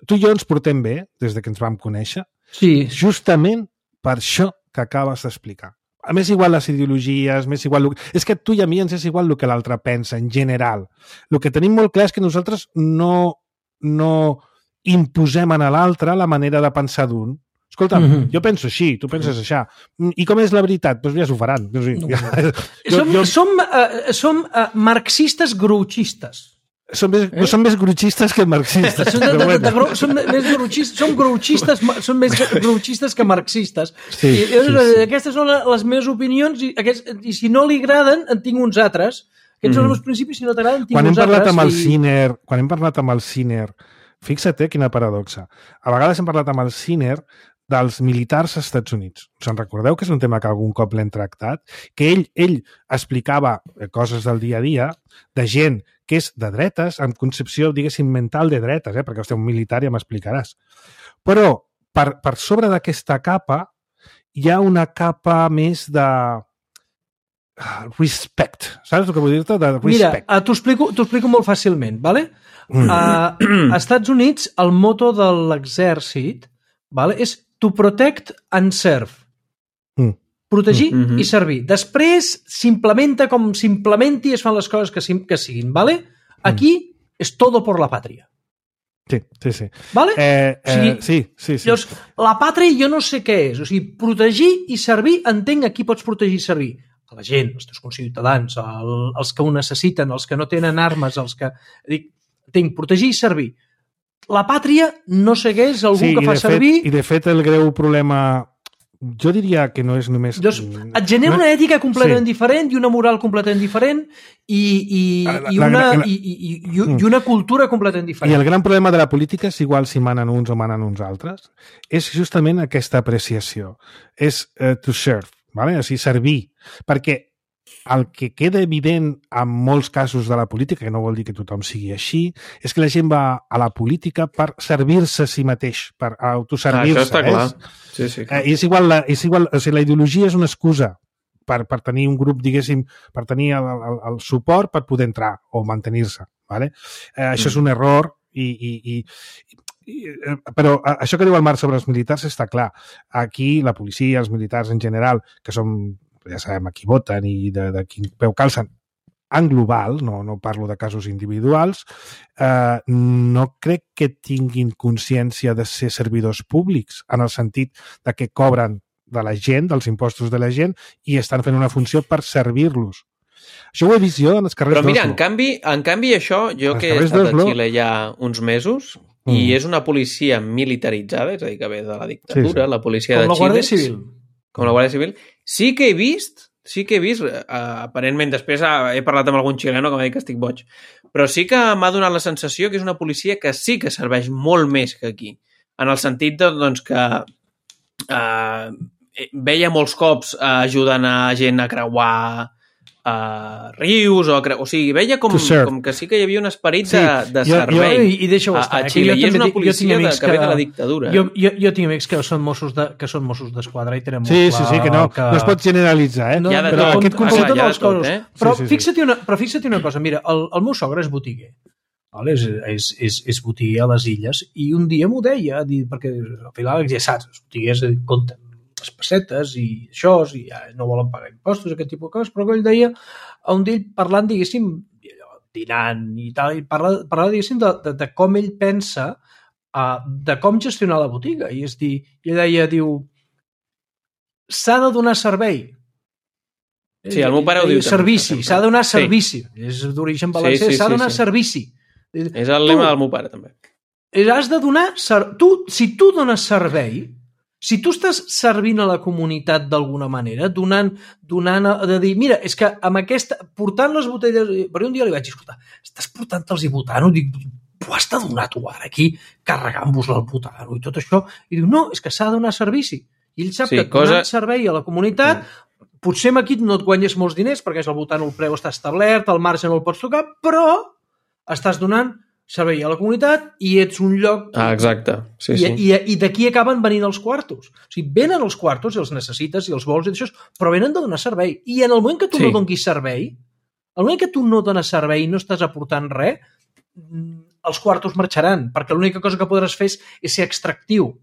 tu i jo ens portem bé des de que ens vam conèixer, sí. justament per això que acabes d'explicar. A més igual les ideologies, més igual... És que a tu i a mi ens és igual el que l'altre pensa, en general. El que tenim molt clar és que nosaltres no, no imposem a l'altre la manera de pensar d'un. Escolta, mm-hmm. jo penso així, tu penses això. I com és la veritat? Doncs ja s'ho faran. O sigui, no. ja, jo, som jo... som, uh, som uh, marxistes grouchistes. Són més, eh? són més grouchistes que marxistes. Són, de, de, de, de, de, són més grouchistes, som grouchistes, són més grouchistes que marxistes. Sí, I, sí, sí. Aquestes són les meves opinions i, aquests, i si no li agraden, en tinc uns altres. Aquests mm. són els meus principis, si no t'agraden, en tinc quan uns hem parlat altres. Amb el I... Ciner, quan hem parlat amb el Ciner, fixa't eh, quina paradoxa. A vegades hem parlat amb el Ciner dels militars als Estats Units. Se'n recordeu que és un tema que algun cop l'hem tractat? Que ell, ell explicava coses del dia a dia de gent que és de dretes, amb concepció, diguéssim, mental de dretes, eh? perquè vostè un militar ja m'explicaràs. Però per, per sobre d'aquesta capa hi ha una capa més de respect. Saps el que vull dir-te? De respect. Mira, t'ho explico, t'ho explico molt fàcilment, ¿vale? Mm. Uh, a Estats Units el moto de l'exèrcit, ¿vale? És to protect and serve. Mm. Protegir mm-hmm. i servir. Després s'implementa com s'implementi i es fan les coses que, que siguin, ¿vale? Aquí mm. és todo por la pàtria. Sí, sí, sí. ¿Vale? Eh, eh, o sigui, sí, sí, sí. Llavors, la pàtria jo no sé què és. O sigui, protegir i servir, entenc a qui pots protegir i servir. A la gent, els teus conciutadans, el, els que ho necessiten, els que no tenen armes, els que... Dic, entenc, protegir i servir. La pàtria no segueix algú sí, que fa fet, servir... I de fet el greu problema, jo diria que no és només... Llavors, et genera una ètica completament sí. diferent i una moral completament diferent i, i, la, i, una, la, la, i, i, i, i una cultura completament diferent. I el gran problema de la política és igual si manen uns o manen uns altres. És justament aquesta apreciació. És uh, to serve, ¿vale? O sigui, servir. Perquè el que queda evident en molts casos de la política, que no vol dir que tothom sigui així, és que la gent va a la política per servir-se a si mateix, per autoservir-se. Ah, això està eh? clar. Sí, sí, clar. Eh, és igual, la, és igual, o sigui, la ideologia és una excusa per, per tenir un grup, diguéssim, per tenir el, el, el suport per poder entrar o mantenir-se. ¿Vale? Eh, això mm. és un error i... i, i però això que diu el Marc sobre els militars està clar. Aquí la policia, els militars en general, que són, ja sabem, a qui voten i de, de quin peu calcen, en global, no, no parlo de casos individuals, eh, no crec que tinguin consciència de ser servidors públics, en el sentit de que cobren de la gent, dels impostos de la gent, i estan fent una funció per servir-los. Això ho he vist jo en els carrers d'Oslo. Però mira, en canvi, en canvi això, jo que he estat a Xile ja uns mesos, mm. i és una policia militaritzada, és a dir, que ve de la dictadura, sí, sí. la policia com de Xile. Com la Guàrdia Civil. Com la Guàrdia Civil. Sí que he vist, sí que he vist, uh, aparentment, després he parlat amb algun xileno que m'ha dit que estic boig, però sí que m'ha donat la sensació que és una policia que sí que serveix molt més que aquí, en el sentit de, doncs, que uh, veia molts cops uh, ajudant a gent a creuar Uh, rius, o, o sigui, veia com, com que sí que hi havia un esperit sí, de, de jo, servei jo, i, i a, a Xile, i és una policia de, que, que ve de la dictadura. Jo, jo, jo tinc amics que són Mossos de, que són Mossos d'Esquadra i tenen molt sí, clar... Sí, sí, que no, que... no es pot generalitzar, eh? No, ja de però tot, aquest concepte ah, ja de les coses. Eh? Però, sí, sí, fixa't una, però fixa't una cosa, mira, el, el meu sogre és botiguer, vale? és, és, és, és botiguer a les Illes, i un dia m'ho deia, perquè al final ja saps, els botiguers compten les pessetes i això, i ja no volen pagar impostos, aquest tipus de coses, però ell deia, un d'ell parlant, diguéssim, dinant i tal, i parla, parlava, diguéssim, de, de, de com ell pensa, uh, de com gestionar la botiga, i és dir, ell deia, diu, s'ha de donar servei. Sí, el meu pare ho diu. Servici, s'ha de donar servici. Sí. És d'origen valencià, s'ha sí, sí, de donar sí. servici. És el lema tu, del meu pare, també. Has de donar... Tu, si tu dones servei, si tu estàs servint a la comunitat d'alguna manera, donant, donant de dir, mira, és que amb aquesta, portant les botelles, però un dia li vaig dir, escolta, estàs portant-los i votant-ho? Dic, ho has de donar tu ara aquí, carregant-vos-la al putano i tot això. I diu, no, és que s'ha de donar servici. I ell sap sí, que cosa... donant servei a la comunitat, sí. potser aquí no et guanyes molts diners, perquè és al butano el preu està establert, el marge no el pots tocar, però estàs donant servei a la comunitat i ets un lloc... Ah, exacte. Sí, I, sí. I, i d'aquí acaben venint els quartos. O sigui, venen els quartos i els necessites i els vols i això, però venen de donar servei. I en el moment que tu sí. no donis servei, el moment que tu no dones servei i no estàs aportant res, els quartos marxaran, perquè l'única cosa que podràs fer és, és ser extractiu.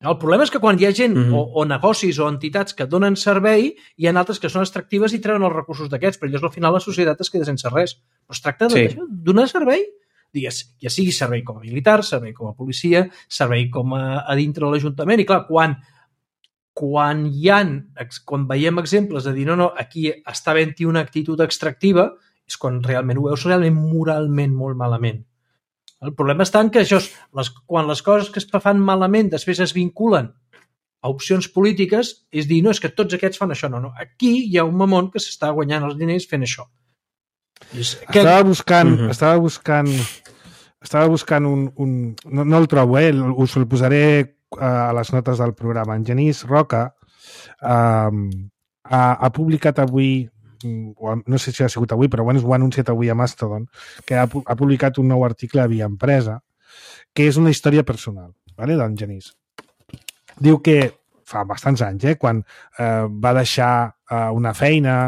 El problema és que quan hi ha gent mm-hmm. o, o negocis o entitats que donen servei, hi ha altres que són extractives i treuen els recursos d'aquests, però llavors al final la societat es queda sense res. Però es tracta de sí. donar servei, digues, ja sigui servei com a militar, servei com a policia, servei com a, a dintre de l'Ajuntament, i clar, quan, quan hi ha, quan veiem exemples de dir, no, no, aquí està havent-hi una actitud extractiva, és quan realment ho veus realment moralment molt malament. El problema està en que això, les, quan les coses que es fan malament després es vinculen a opcions polítiques, és dir, no, és que tots aquests fan això. No, no. Aquí hi ha un mamón que s'està guanyant els diners fent això. És que... Estava buscant, uh-huh. estava buscant, estava buscant un... un no, no el trobo, eh? Us el posaré a les notes del programa. En Genís Roca eh, ha, ha publicat avui, no sé si ha sigut avui, però bueno, ho ha anunciat avui a Mastodon, que ha, ha publicat un nou article a Via Empresa, que és una història personal, vale, d'en Genís. Diu que fa bastants anys, eh, quan eh, va deixar eh, una feina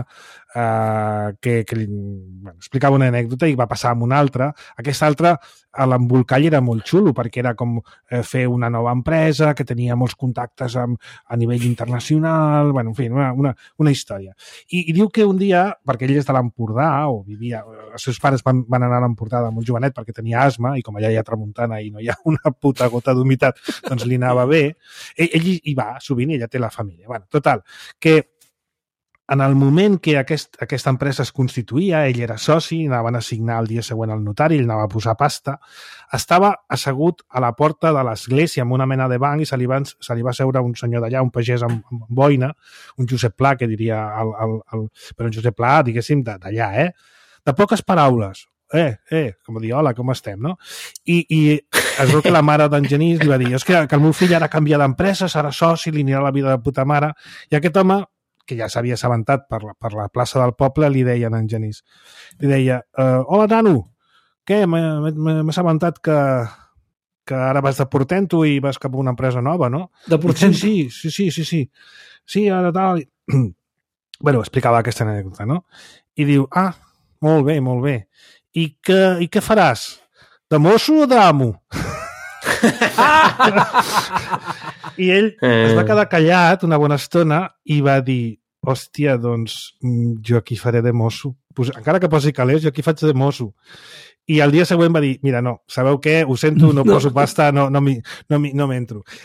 eh, que, que li, bueno, explicava una anècdota i va passar amb una altra. Aquesta altra, a l'embolcall era molt xulo perquè era com eh, fer una nova empresa que tenia molts contactes amb, a nivell internacional, bueno, en fi, una, una, una història. I, I diu que un dia, perquè ell és de l'Empordà, o vivia, els seus pares van, van anar a l'Empordà de molt jovenet perquè tenia asma i com allà hi ha tramuntana i no hi ha una puta gota d'humitat, doncs li anava bé. Ell, ell hi va sovint i ella té la família. Bueno, total, que en el moment que aquest, aquesta empresa es constituïa, ell era soci, anaven a signar el dia següent al notari, ell anava a posar pasta, estava assegut a la porta de l'església amb una mena de banc i se li va, se li va seure un senyor d'allà, un pagès amb, amb boina, un Josep Pla, que diria, el, el, el, però un Josep Pla, diguéssim, d'allà, eh? De poques paraules. Eh, eh, com dir, hola, com estem, no? I, i es veu que la mare d'en Genís li va dir, és que, que el meu fill ara canvia d'empresa, serà soci, li anirà la vida de puta mare, i aquest home, que ja s'havia assabentat per la, per la plaça del poble, li deia a en Genís. Li deia, uh, hola, nano, què? M'he assabentat que, que ara vas de Portento i vas cap a una empresa nova, no? De Portento? Sí, sí, sí, sí, sí. Sí, ara tal... Bueno, explicava aquesta anècdota, no? I diu, ah, molt bé, molt bé. I què, i què faràs? De mosso o d'amo? I ell es va quedar callat una bona estona i va dir, hòstia, doncs jo aquí faré de mosso. Pues, encara que posi calés, jo aquí faig de mosso. I el dia següent va dir, mira, no, sabeu què? Ho sento, no poso pasta, no, no m'entro. No, no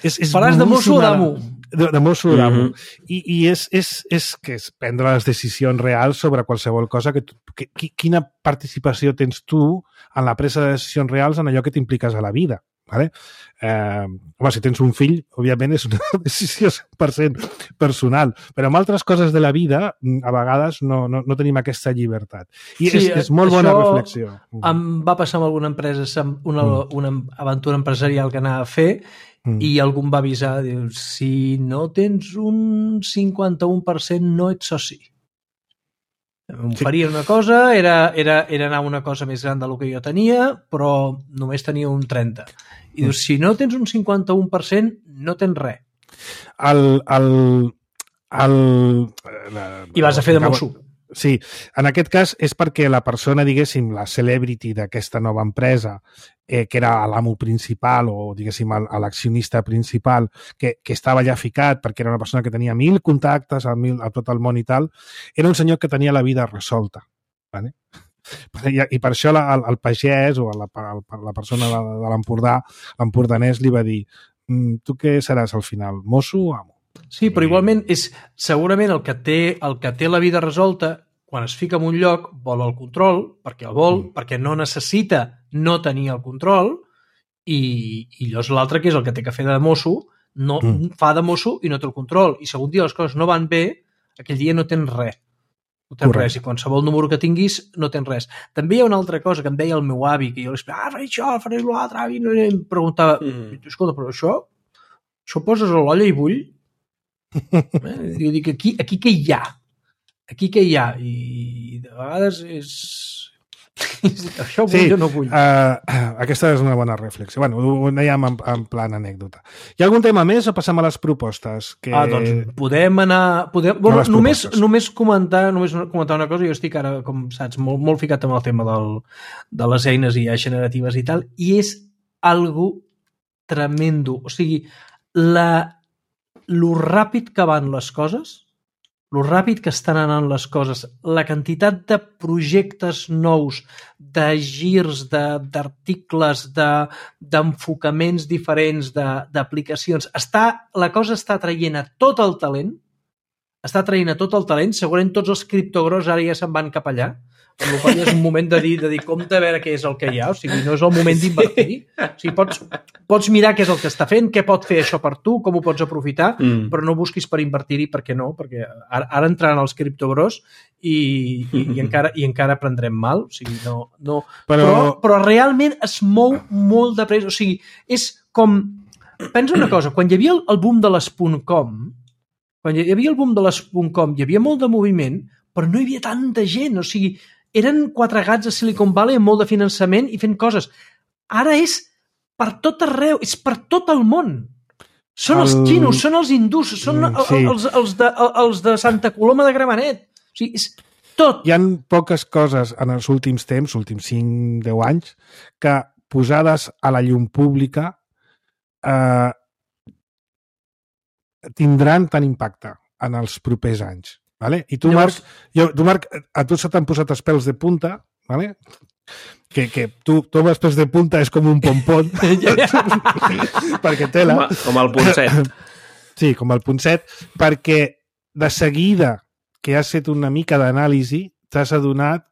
és, és Faràs de mosso o d'amo? De, de mosso o d'amo. Mm-hmm. I, i és, és, és que és prendre les decisions reals sobre qualsevol cosa. Que tu, que, quina participació tens tu en la presa de decisions reals en allò que t'impliques a la vida? Vale? Eh, home, si tens un fill, òbviament és una decisió cent per cent personal, però amb altres coses de la vida a vegades no, no, no tenim aquesta llibertat. I sí, és, és molt bona reflexió. Em va passar amb alguna empresa, una, mm. una aventura empresarial que anava a fer mm. i algú em va avisar, diu, si no tens un cinquanta-u per cent no ets soci. Em faria una cosa, era, era, era anar una cosa més gran del que jo tenia, però només tenia un trenta. I dius, si no tens un cinquanta-u per cent, no tens res. El, el, el... I vas a fer de mosso. Sí, en aquest cas és perquè la persona, diguéssim, la celebrity d'aquesta nova empresa, eh, que era l'amo principal o, diguéssim, l'accionista principal, que, que estava allà ficat perquè era una persona que tenia mil contactes a, mil, a tot el món i tal, era un senyor que tenia la vida resolta. Vale? I, I per això la, el, el pagès o la, la persona de, de l'Empordà, l'empordanès, li va dir, tu què seràs al final, mosso o amo? Sí, però igualment és segurament el que té, el que té la vida resolta, quan es fica en un lloc, vol el control, perquè el vol, mm. perquè no necessita no tenir el control, i, i llavors l'altre, que és el que té que fer de mosso, no, mm. fa de mosso i no té el control. I si algun dia les coses no van bé, aquell dia no tens res. No tens res, i qualsevol número que tinguis no tens res. També hi ha una altra cosa que em deia el meu avi, que jo li explicava, ah, faré això, faré l'altre, avi, no, em preguntava, mm. escolta, però això, això poses a l'olla i bull? eh? Jo dic, aquí, aquí què hi ha? Aquí què hi ha? I de vegades és... això vull sí, o no vull? Uh, aquesta és una bona reflexió. Bueno, ho dèiem en, en plan anècdota. Hi ha algun tema més o passem a les propostes? Que... Ah, doncs podem anar... Podem... Bueno, només, només, comentar, només comentar una cosa. Jo estic ara, com saps, molt, molt ficat amb el tema del, de les eines i generatives i tal, i és algo tremendo. O sigui, la, lo ràpid que van les coses, lo ràpid que estan anant les coses, la quantitat de projectes nous, de girs, d'articles, de, d'enfocaments diferents, d'aplicacions, està, la cosa està traient a tot el talent, està traient a tot el talent, segurament tots els criptogros ara ja se'n van cap allà, amb la qual cosa és un moment de dir, de dir compte a veure què és el que hi ha, o sigui, no és el moment d'invertir. O sigui, pots, pots mirar què és el que està fent, què pot fer això per tu, com ho pots aprofitar, mm. però no busquis per invertir-hi, perquè no, perquè ara, ara entraran els criptogros i, i, i, encara, i encara prendrem mal, o sigui, no... no però... Però, però realment es mou molt de pressa, o sigui, és com... Pensa una cosa, quan hi havia el, el boom de les .com, quan hi havia el boom de les .com, hi havia molt de moviment, però no hi havia tanta gent, o sigui, eren quatre gats a Silicon Valley amb molt de finançament i fent coses. Ara és per tot arreu, és per tot el món. Són el... els xinos, són els hindús, són mm, sí. els, els, de, els de Santa Coloma de Gramenet. O sigui, és tot. Hi ha poques coses en els últims temps, últims cinc deu anys, que posades a la llum pública eh, tindran tant impacte en els propers anys. Vale? I tu, Llavors... Marc, jo, tu, Marc, a tu se t'han posat els pèls de punta, vale? que, que tu, tu amb els pèls de punta és com un pompon, perquè tela... Com, a, com el punt set. Sí, com el punt set, perquè de seguida que has fet una mica d'anàlisi t'has adonat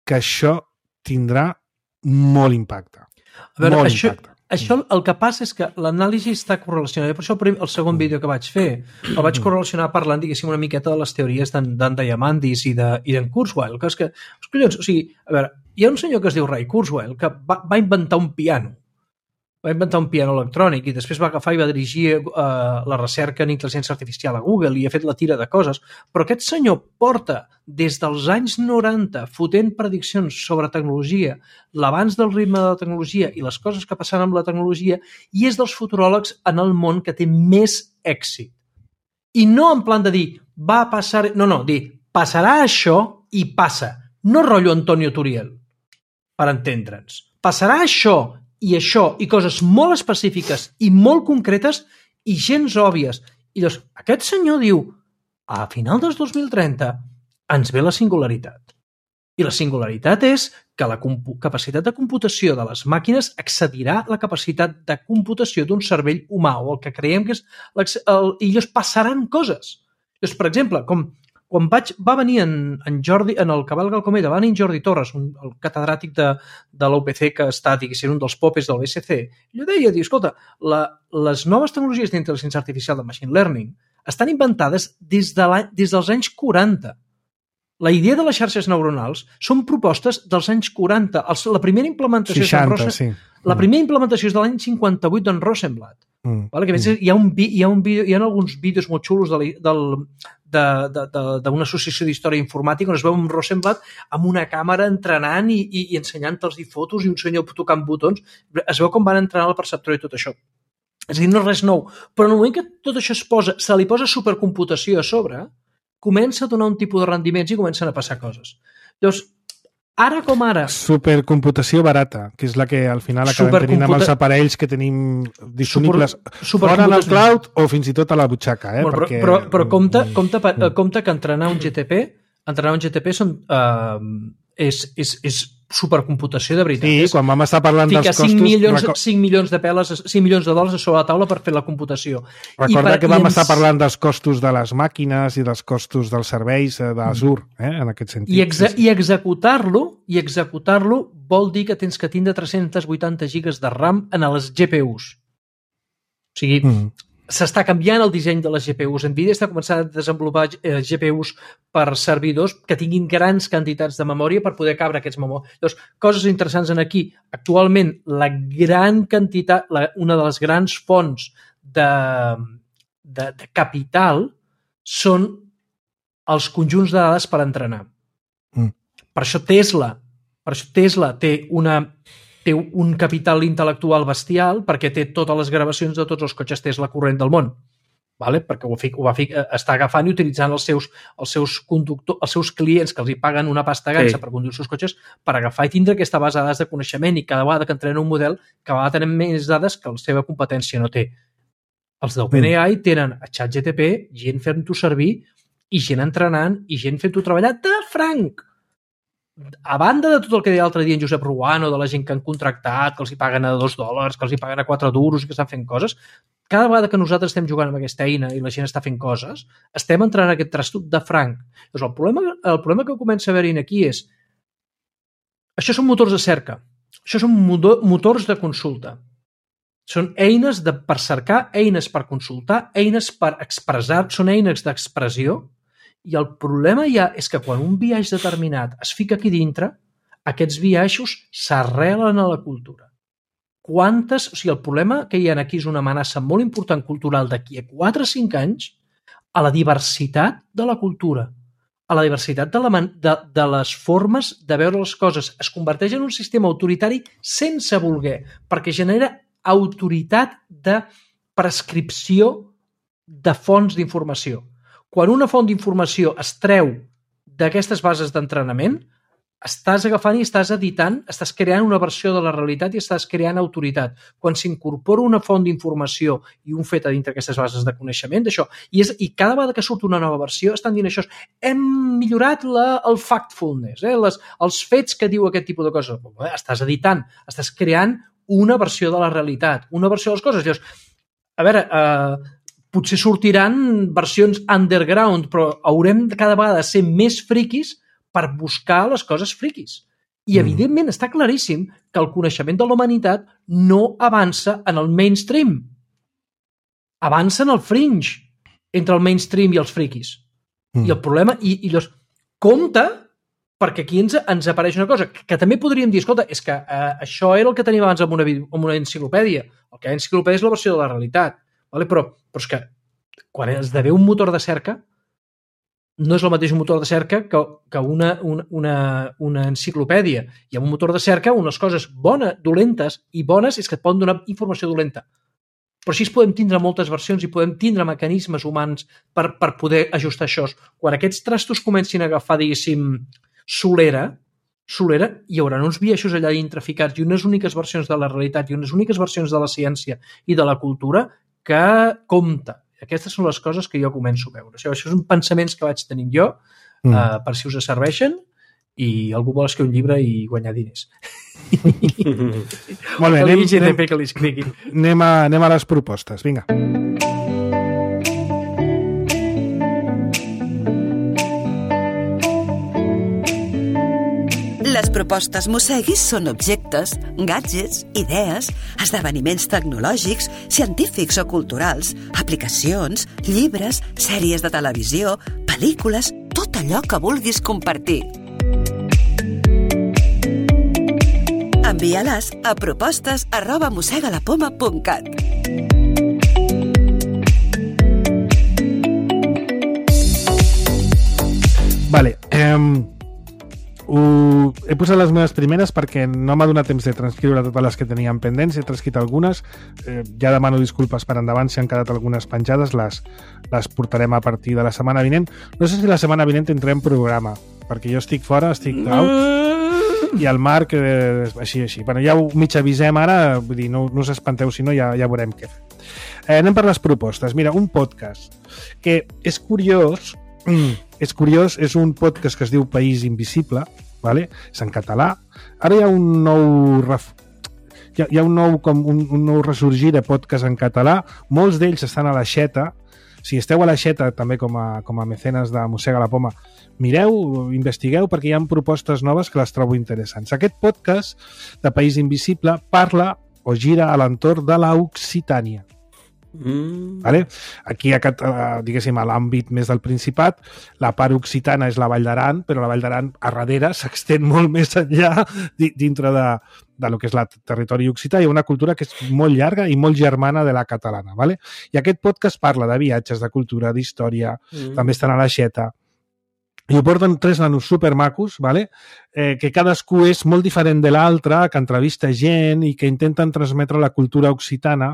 que això tindrà molt impacte. A veure, molt això, impacte. Això el que passa és que l'anàlisi està correlacionada. Per això el segon vídeo que vaig fer el vaig correlacionar parlant, diguéssim, una miqueta de les teories d'en Diamandis i d'en de, Kurzweil. Que és que, collons, o sigui, a veure, hi ha un senyor que es diu Ray Kurzweil que va, va inventar un piano. Va inventar un piano electrònic i després va agafar i va dirigir uh, la recerca en intel·ligència artificial a Google i ha fet la tira de coses. Però aquest senyor porta des dels anys noranta fotent prediccions sobre tecnologia, l'abans del ritme de la tecnologia i les coses que passaran amb la tecnologia, i és dels futuròlegs en el món que té més èxit. I no en plan de dir, va passar... No, no, dir, passarà això i passa. No rotllo Antonio Turiel, per entendre'ns. Passarà això i això, i coses molt específiques i molt concretes i gens òbvies. I llavors, aquest senyor diu, a final del dos mil trenta ens ve la singularitat. I la singularitat és que la capacitat de computació de les màquines excedirà la capacitat de computació d'un cervell humà, o el que creiem que és... El, i llavors passaran coses. Llavors, per exemple, com quan vaig, va venir en, en Jordi, en el Cavalc al Cometa, va venir en Jordi Torres, un, el catedràtic de, de l'U P C que està, diguéssim, un dels popes del B S C, i jo deia, escolta, la, les noves tecnologies d'intel·ligència artificial de machine learning estan inventades des, de la, des dels anys quaranta. La idea de les xarxes neuronals són propostes dels anys quaranta. Els, la primera implementació seixanta, és sí. La primera implementació és de l'any cinquanta-vuit d'en Rosenblatt. Mm. Vale? Que a més, hi ha, un, hi, ha un vídeo, hi ha alguns vídeos molt xulos de, del, de, de, de, d'una associació d'història informàtica on es veu un Rosenblatt amb una càmera entrenant i, i, i ensenyant-los fotos i un senyor tocant botons. Es veu com van entrenar el perceptor i tot això. És a dir, no és res nou. Però en el moment que tot això es posa, se li posa supercomputació a sobre, comença a donar un tipus de rendiments i comencen a passar coses. Llavors, ara com ara... Supercomputació barata, que és la que al final acabem Supercomputa... tenint amb els aparells que tenim disponibles Super... fora en el cloud o fins i tot a la butxaca. Eh? Bueno, Perquè... Però, però, però compte, compte, compte que entrenar un G T P, entrenar un G T P són, uh, és, és, és supercomputació de veritat. Sí, quan vam estar parlant dels costos... cinc milions, cinc milions de peles, cinc milions de dòlars sobre la taula per fer la computació. Recorda per, que vam ens... estar parlant dels costos de les màquines i dels costos dels serveis d'Azure, eh, en aquest sentit. I, exe i executar-lo i executar-lo vol dir que tens que tindre tres-cents vuitanta gigas de RAM en les G P Us. O sigui, mm. s'està canviant el disseny de les G P Us. NVIDIA està començant a desenvolupar G P Us per servidors que tinguin grans quantitats de memòria per poder cabre aquests memòries. Llavors, coses interessants en aquí. Actualment, la gran quantitat, la, una de les grans fonts de, de, de capital són els conjunts de dades per entrenar. Mm. Per això Tesla, per això Tesla té una... té un capital intel·lectual bestial perquè té totes les gravacions de tots els cotxes Tesla corrent del món. Vale? Perquè ho, ho va fi, està agafant i utilitzant els seus, els seus conductors, els seus clients que els hi paguen una pasta gansa sí. per conduir els seus cotxes per agafar i tindre aquesta base de dades de coneixement i cada vegada que entrenen un model, cada vegada tenen més dades que la seva competència no té. Els d'OpenAI tenen a ChatGPT, gent fent-ho servir i gent entrenant i gent fent-ho treballar de franc. A banda de tot el que deia l'altre dia en Josep Ruano, de la gent que han contractat, que els hi paguen a dos dòlars, que els hi paguen a quatre duros i que estan fent coses, cada vegada que nosaltres estem jugant amb aquesta eina i la gent està fent coses, estem entrant en aquest trastut de franc. Llavors, el problema, el problema que comença a haver-hi aquí és això són motors de cerca, això són motors de consulta. Són eines de, per cercar, eines per consultar, eines per expressar, són eines d'expressió. I el problema ja és que quan un biaix determinat es fica aquí dintre, aquests biaixos s'arrelen a la cultura. Quantes... O sigui, el problema que hi ha aquí és una amenaça molt important cultural d'aquí a quatre o cinc anys a la diversitat de la cultura, a la diversitat de, la, de, de les formes de veure les coses. Es converteix en un sistema autoritari sense voler, perquè genera autoritat de prescripció de fonts d'informació. Quan una font d'informació es treu d'aquestes bases d'entrenament, estàs agafant i estàs editant, estàs creant una versió de la realitat i estàs creant autoritat. Quan s'incorpora una font d'informació i un fet a dintre d'aquestes bases de coneixement, d'això, i, és, i cada vegada que surt una nova versió estan dient això, hem millorat la, el factfulness, eh? Les, els fets que diu aquest tipus de coses. Estàs editant, estàs creant una versió de la realitat, una versió de les coses. Llavors, a veure... Eh, potser sortiran versions underground, però haurem cada vegada de ser més friquis per buscar les coses friquis. I, evidentment, està claríssim que el coneixement de la humanitat no avança en el mainstream. Avança en el fringe entre el mainstream i els friquis. Mm. I el problema... I, i llavors, compte, perquè aquí ens, ens apareix una cosa que, que també podríem dir, escolta, és que eh, això era el que teníem abans amb una, amb una enciclopèdia. El que hi ha enciclopèdia és la versió de la realitat. Vale? Però, però és que quan esdevé un motor de cerca no és el mateix un motor de cerca que, que una, una, una, una enciclopèdia. I amb un motor de cerca unes coses bones, dolentes i bones és que et poden donar informació dolenta. Però així podem tindre moltes versions i podem tindre mecanismes humans per, per poder ajustar això. Quan aquests trastos comencin a agafar, diguéssim, solera, solera, hi haurà uns biaixos allà intraficats i unes úniques versions de la realitat i unes úniques versions de la ciència i de la cultura que compta. Aquestes són les coses que jo començo a veure. Això, això són pensaments que vaig tenir jo, mm. uh, per si us serveixen, i algú vol escriure un llibre i guanyar diners. Molt bé, anem, anem, anem, a, anem a les propostes. Vinga. Les propostes Mosseguis són objectes, gadgets, idees, esdeveniments tecnològics, científics o culturals, aplicacions, llibres, sèries de televisió, pel·lícules, tot allò que vulguis compartir. Envia-les a propostes arroba mossegalapoma punt cat. Vale, eh... Uh, he posat les meves primeres perquè no m'ha donat temps de transcriure totes les que teníem pendents, he transcrit algunes, eh, ja demano disculpes per endavant si han quedat algunes penjades, les, les portarem a partir de la setmana vinent. No sé si la setmana vinent tindrem programa, perquè jo estic fora, estic out, i el Marc, eh, així, així. Bueno, ja ho mig avisem ara, vull dir, no, no us espanteu, si no ja, ja veurem què. Eh, anem per les propostes. Mira, un podcast que és curiós, és curiós, és un podcast que es diu País Invisible, vale? És en català. Ara hi ha un nou ref... hi, ha, hi ha un nou, com un, un nou ressorgir de podcast en català. Molts d'ells estan a la Xeta. Si esteu a la Xeta, també com a, com a mecenes de Mossega la Poma, mireu, investigueu, perquè hi ha propostes noves que les trobo interessants. Aquest podcast de País Invisible parla o gira a l'entorn de l'Occitània. Mm. Vale? Aquí, a, diguéssim, a l'àmbit més del Principat, la part occitana és la Vall d'Aran, però la Vall d'Aran a darrere s'extén molt més enllà dintre de, de lo que és el territori occità. Hi ha una cultura que és molt llarga i molt germana de la catalana. Vale? I aquest podcast parla de viatges, de cultura, d'història, mm. també estan a l'Aixeta. I ho porten tres nanos supermacos, vale? eh, que cadascú és molt diferent de l'altre, que entrevista gent i que intenten transmetre la cultura occitana,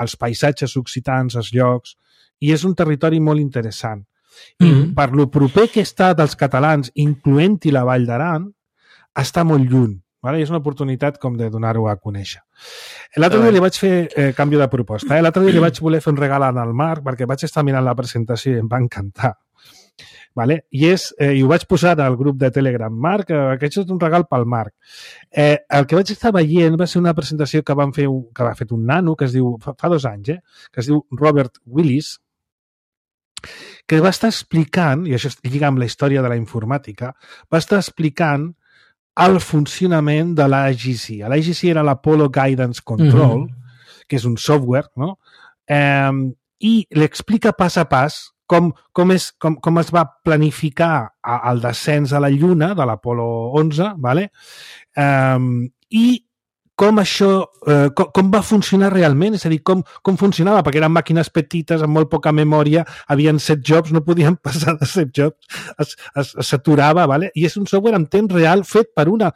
els paisatges occitans, els llocs, i és un territori molt interessant. I mm-hmm. per lo proper que està dels catalans, incloent-hi la Vall d'Aran, està molt lluny. Vale? I és una oportunitat com de donar-ho a conèixer. L'altre dia li vaig fer eh, canvi de proposta. Eh? L'altre dia li vaig voler fer un regal al Marc perquè vaig estar mirant la presentació i em va encantar. Vale? I, és, eh, i ho vaig posar al grup de Telegram. Marc, eh, aquest és un regal pel Marc. Eh, el que vaig estar veient va ser una presentació que, van fer un, que va fet un nano, que es diu, fa, fa dos anys, eh, que es diu Robert Willis, que va estar explicant, i això lliga amb la història de la informàtica, va estar explicant el funcionament de l'A G C. L'A G C era l'Apollo Guidance Control, mm-hmm. que és un software, no? Eh, i l'explica pas a pas Com, com, és, com, com es va planificar el descens a la Lluna de l'Apolo onze, vale? Um, i com això, eh, com, com va funcionar realment, és a dir, com, com funcionava, perquè eren màquines petites, amb molt poca memòria, havien set jobs, no podien passar de set jobs, s'aturava, vale? I és un software en temps real fet per una,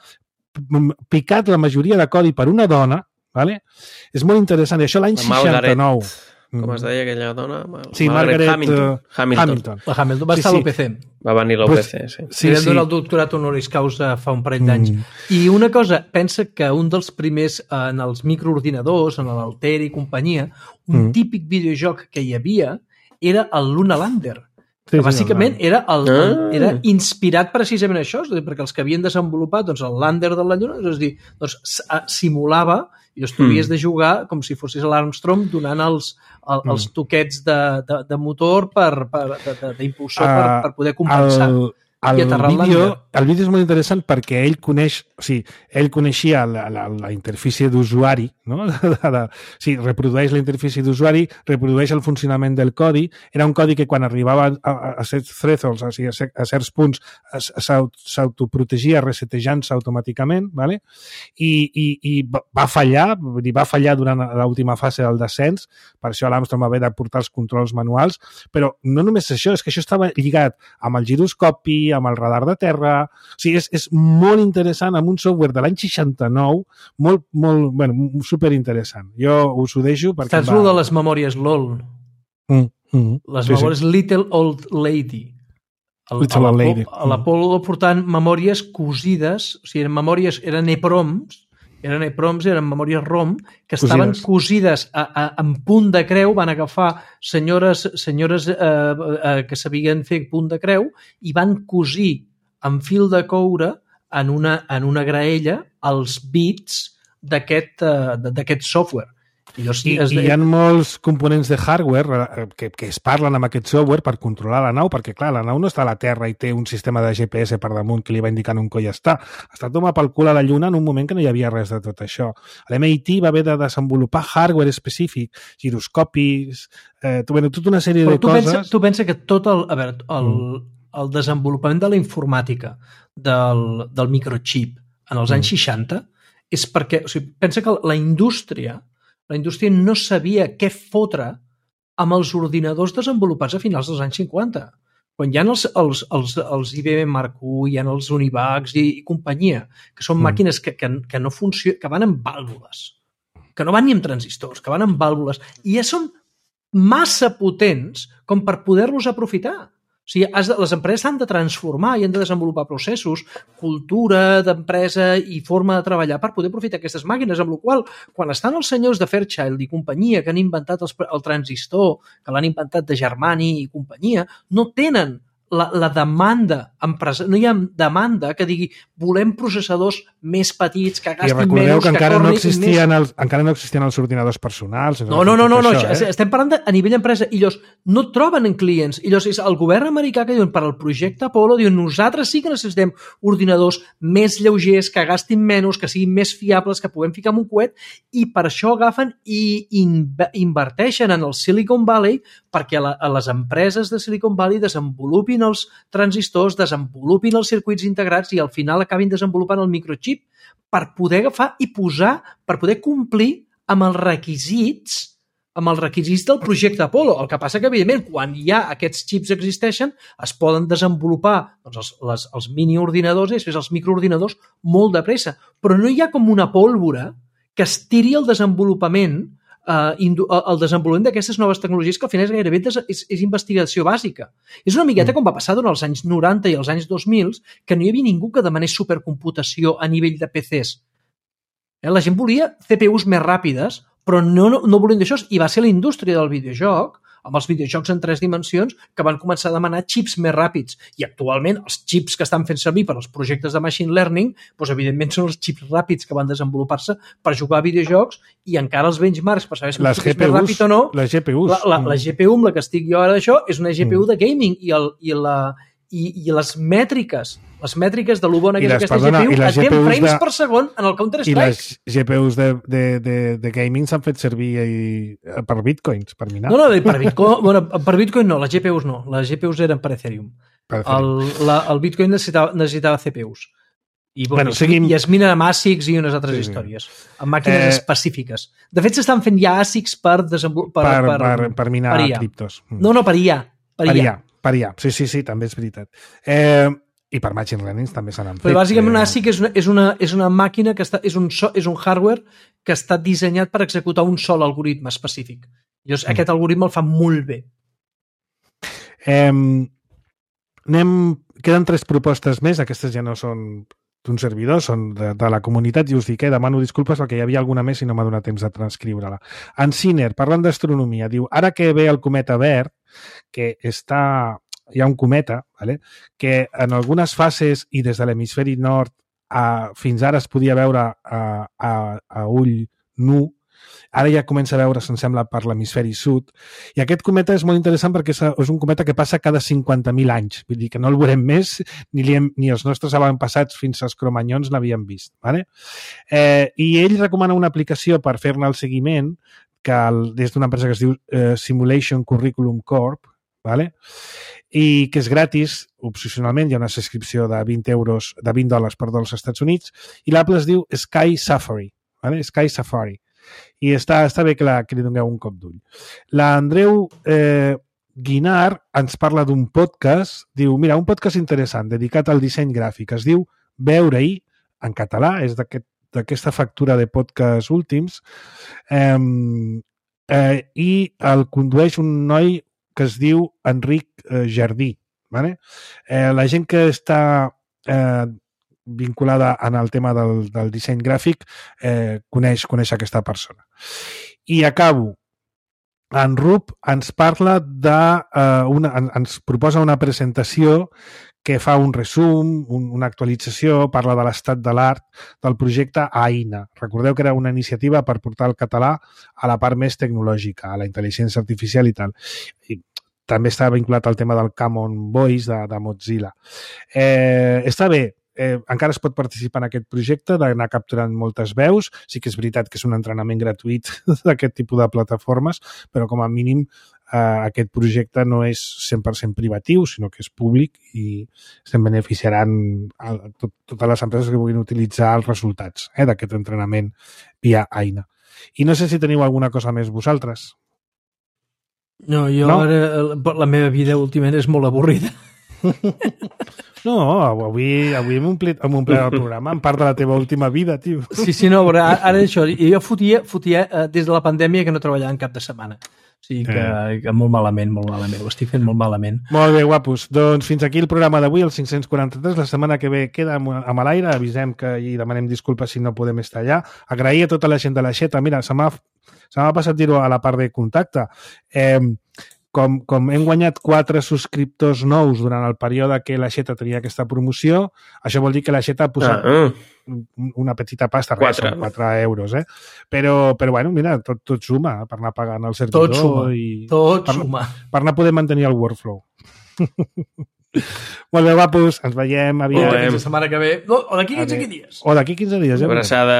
picat la majoria de codi per una dona, vale? És molt interessant, i això l'any seixanta-nou. Com es deia aquella dona? Sí, Margaret, Margaret Hamilton. Uh, Hamilton. Hamilton. La Hamilton va sí, estar a l'U P C. Va venir a l'U P C, pues, sí. Sí, sí. Donar el doctorat honoris causa fa un parell d'anys. Mm. I una cosa, pensa que un dels primers en els microordinadors, en l'Alter i companyia, un mm. típic videojoc que hi havia era el Luna Lander. Sí, que bàsicament sí, era, el, el, era inspirat precisament a això, és a dir, perquè els que havien desenvolupat doncs, el Lander de la Lluna, és a dir, doncs, simulava i llavors tu havies mm. de jugar com si fossis l'Armstrong donant els, el, els toquets de, de, de motor per, per, d'impulsor uh, per, per poder compensar. El, el, vídeo, el vídeo és molt interessant perquè ell coneix, o sigui, ell coneixia la, la, la interfície d'usuari, no? De, de, de, o sigui, reprodueix la interfície d'usuari, reprodueix el funcionament del codi. Era un codi que quan arribava a, a, a certs thresholds, o sigui, a certs punts, s'autoprotegia resetejant-se automàticament, ¿vale? I, i, i va fallar, va fallar durant l'última fase del descens, per això l'Armstrong va haver de portar els controls manuals, però no només això, és que això estava lligat amb el giroscopi, amb el radar de terra, o sigui, és, és molt interessant, amb un software de l'any seixanta-nou, molt, molt, bueno, superinteressant. Jo us ho deixo perquè... Saps va... de les memòries L O L? Mm, mm, les sí, memòries sí. Little Old Lady. El, Little Old Lady. L'Apollo portant memòries cosides, o sigui, eren memòries, eren EPROMs, eren EPROMs, eren memòries ROM, que estaven cosides, cosides a, a, en punt de creu, van agafar senyores, senyores eh, eh, que sabien fer punt de creu i van cosir amb fil de coure en una, en una graella els bits d'aquest uh, software. I, I, i hi ha molts components de hardware que, que es parlen amb aquest software per controlar la nau, perquè clar, la nau no està a la Terra i té un sistema de G P S per damunt que li va indicant on coi està. Està tomar pel cul a la Lluna en un moment que no hi havia res de tot això. L'M I T va haver de desenvolupar hardware específic, giroscopis, eh, bueno, tota una sèrie Però de tu coses... Pensa, tu pensa que tot el, a veure, el, mm. el desenvolupament de la informàtica del, del microchip en els mm. anys seixanta és perquè, o sigui, pensa que la indústria la indústria no sabia què fotre amb els ordinadors desenvolupats a finals dels anys cinquanta. Quan hi ha els, els, els, els I B M Mark u, hi ha els Univacs i, i companyia, que són mm. màquines que, que, que no funcionen, que van amb vàlvules, que no van ni amb transistors, que van amb vàlvules, i ja són massa potents com per poder-los aprofitar. O sigui, has de, les empreses s'han de transformar i han de desenvolupar processos, cultura d'empresa i forma de treballar per poder aprofitar aquestes màquines, amb la qual quan estan els senyors de Fairchild i companyia que han inventat els, el transistor, que l'han inventat de Germani i companyia, no tenen la, la demanda empresa, no hi ha demanda que digui volem processadors més petits, que gastin menys, I recordeu que, que encara no existien més... els, encara no existien els ordinadors personals. No, no, no, no, no això, eh? estem parlant de, a nivell empresa, i llavors no troben en clients, i llavors és el govern americà que diuen per al projecte Apollo, diuen nosaltres sí que necessitem ordinadors més lleugers, que gastin menys, que siguin més fiables, que puguem ficar en un coet, i per això agafen i inverteixen en el Silicon Valley perquè a, la, a les empreses de Silicon Valley desenvolupin els transistors, desenvolupin els circuits integrats i al final acabin desenvolupant el microchip per poder agafar i posar, per poder complir amb els requisits amb els requisits del projecte Apollo. El que passa que, evidentment, quan ja aquests xips existeixen, es poden desenvolupar doncs, els, les, els miniordinadors i després els microordinadors molt de pressa. Però no hi ha com una pólvora que estiri el desenvolupament Uh, el desenvolupament d'aquestes noves tecnologies que al final és gairebé és, és, és investigació bàsica. És una miqueta com va passar durant els anys noranta i els anys dos mil, que no hi havia ningú que demanés supercomputació a nivell de P Cs. Eh? La gent volia C P Us més ràpides, però no, no, no volien d'això, i va ser la indústria del videojoc, amb els videojocs en tres dimensions, que van començar a demanar xips més ràpids. I actualment els xips que estan fent servir per als projectes de machine learning, doncs evidentment són els xips ràpids que van desenvolupar-se per jugar a videojocs, i encara els benchmarks per saber si les és més ràpid o no. Les G P Us. La, la, la G P U amb la que estic jo ara d'això és una G P U de gaming, i, el, i, la, i, i les mètriques les mètriques de lo bona que és aquesta perdona, G P U, et té frames de, per segon en el Counter-Strike. I les G P Us de, de, de, de gaming s'han fet servir i, per bitcoins, per minar. No, no, per bitcoin, bueno, per bitcoin no, les G P Us no, les G P Us eren per Ethereum. Per Ethereum. El, la, el bitcoin necessitava, necessitava C P Us. I, bueno, bueno, seguim... i es minen amb A S I Cs i unes altres sí, històries, amb màquines eh... específiques. De fet, s'estan fent ja A S I Cs per, desenvolupar, per, per, per, per minar per criptos. No, no, per I A. Per I A. Per I A, sí, sí, sí, també és veritat. Eh... I per machine learning també se n'han fet. Però bàsicament una A S I C és una, és una, és una màquina que està, és un, so, és un hardware que està dissenyat per executar un sol algoritme específic. Llavors, mm. aquest algoritme el fa molt bé. Eh, anem, queden tres propostes més, aquestes ja no són d'un servidor, són de, de la comunitat, i us dic, eh, demano disculpes perquè hi havia alguna més i no m'ha donat temps de transcriure-la. En Siner, parlant d'astronomia, diu, ara que ve el cometa verd, que està... hi ha un cometa, vale? Que en algunes fases i des de l'hemisferi nord a, fins ara es podia veure a, a, a ull nu, ara ja comença a veure, se'n sembla, per l'hemisferi sud, i aquest cometa és molt interessant perquè és, és un cometa que passa cada cinquanta mil anys, vull dir que no el veurem més, ni, li hem, ni els nostres avantpassats fins als cromanyons l'havien vist. Vale? Eh, I ell recomana una aplicació per fer-ne el seguiment, que el, des d'una empresa que es diu eh, Simulation Curriculum Corp, vale? I que és gratis, opcionalment, hi ha una subscripció de vint euros, de vint dòlars, perdó, als Estats Units, i l'app es diu Sky Safari, vale? Sky Safari. I està, està bé que, la, que li doneu un cop d'ull. L'Andreu eh, Guinar ens parla d'un podcast, diu, mira, un podcast interessant, dedicat al disseny gràfic, es diu Veure-hi, en català, és d'aquest, d'aquesta factura de podcast últims, eh, eh, i el condueix un noi que es diu Enric eh, Jardí. Vale? Eh, la gent que està eh, vinculada en el tema del, del disseny gràfic eh, coneix, coneix aquesta persona. I acabo. En Rup ens parla de... Eh, una, ens proposa una presentació que fa un resum, un, una actualització, parla de l'estat de l'art del projecte AINA. Recordeu que era una iniciativa per portar el català a la part més tecnològica, a la intel·ligència artificial i tal. I també està vinculat al tema del Common Voice de, de Mozilla. Eh, està bé, eh, encara es pot participar en aquest projecte, d'anar capturant moltes veus. Sí que és veritat que és un entrenament gratuït d'aquest tipus de plataformes, però com a mínim eh, aquest projecte no és cent per cent privatiu, sinó que és públic i se'n beneficiaran a tot, totes les empreses que vulguin utilitzar els resultats eh, d'aquest entrenament via AINA. I no sé si teniu alguna cosa més vosaltres. No, jo no? Ara, la meva vida últimament és molt avorrida. No, avui, avui hem omplit, hem omplit el programa en part de la teva última vida, tio. Sí, sí, no, però ara, ara això, jo fotia, fotia eh, des de la pandèmia que no treballava en cap de setmana. O sigui que, eh. que molt malament, molt malament, ho estic fent molt malament. Molt bé, guapos. Doncs fins aquí el programa d'avui, el cinc-cents quaranta-tres. La setmana que ve queda amb l'aire, avisem que i demanem disculpes si no podem estar allà. Agrair a tota la gent de la Xeta. Mira, se m'ha se m'ha passat dir-ho a la part de contacte. Eh, com, com hem guanyat quatre subscriptors nous durant el període que la Xeta tenia aquesta promoció, això vol dir que la Xeta ha posat ah, uh. una petita pasta, res, són quatre euros, eh? Però, però bueno, mira, tot, tot suma per anar pagant el servidor. Tot suma, i tot per, suma. Per anar poder mantenir el workflow. Molt bé, guapos, ens veiem aviat. O la setmana que ve, o d'aquí quinze dies. O d'aquí quinze dies. Una abraçada.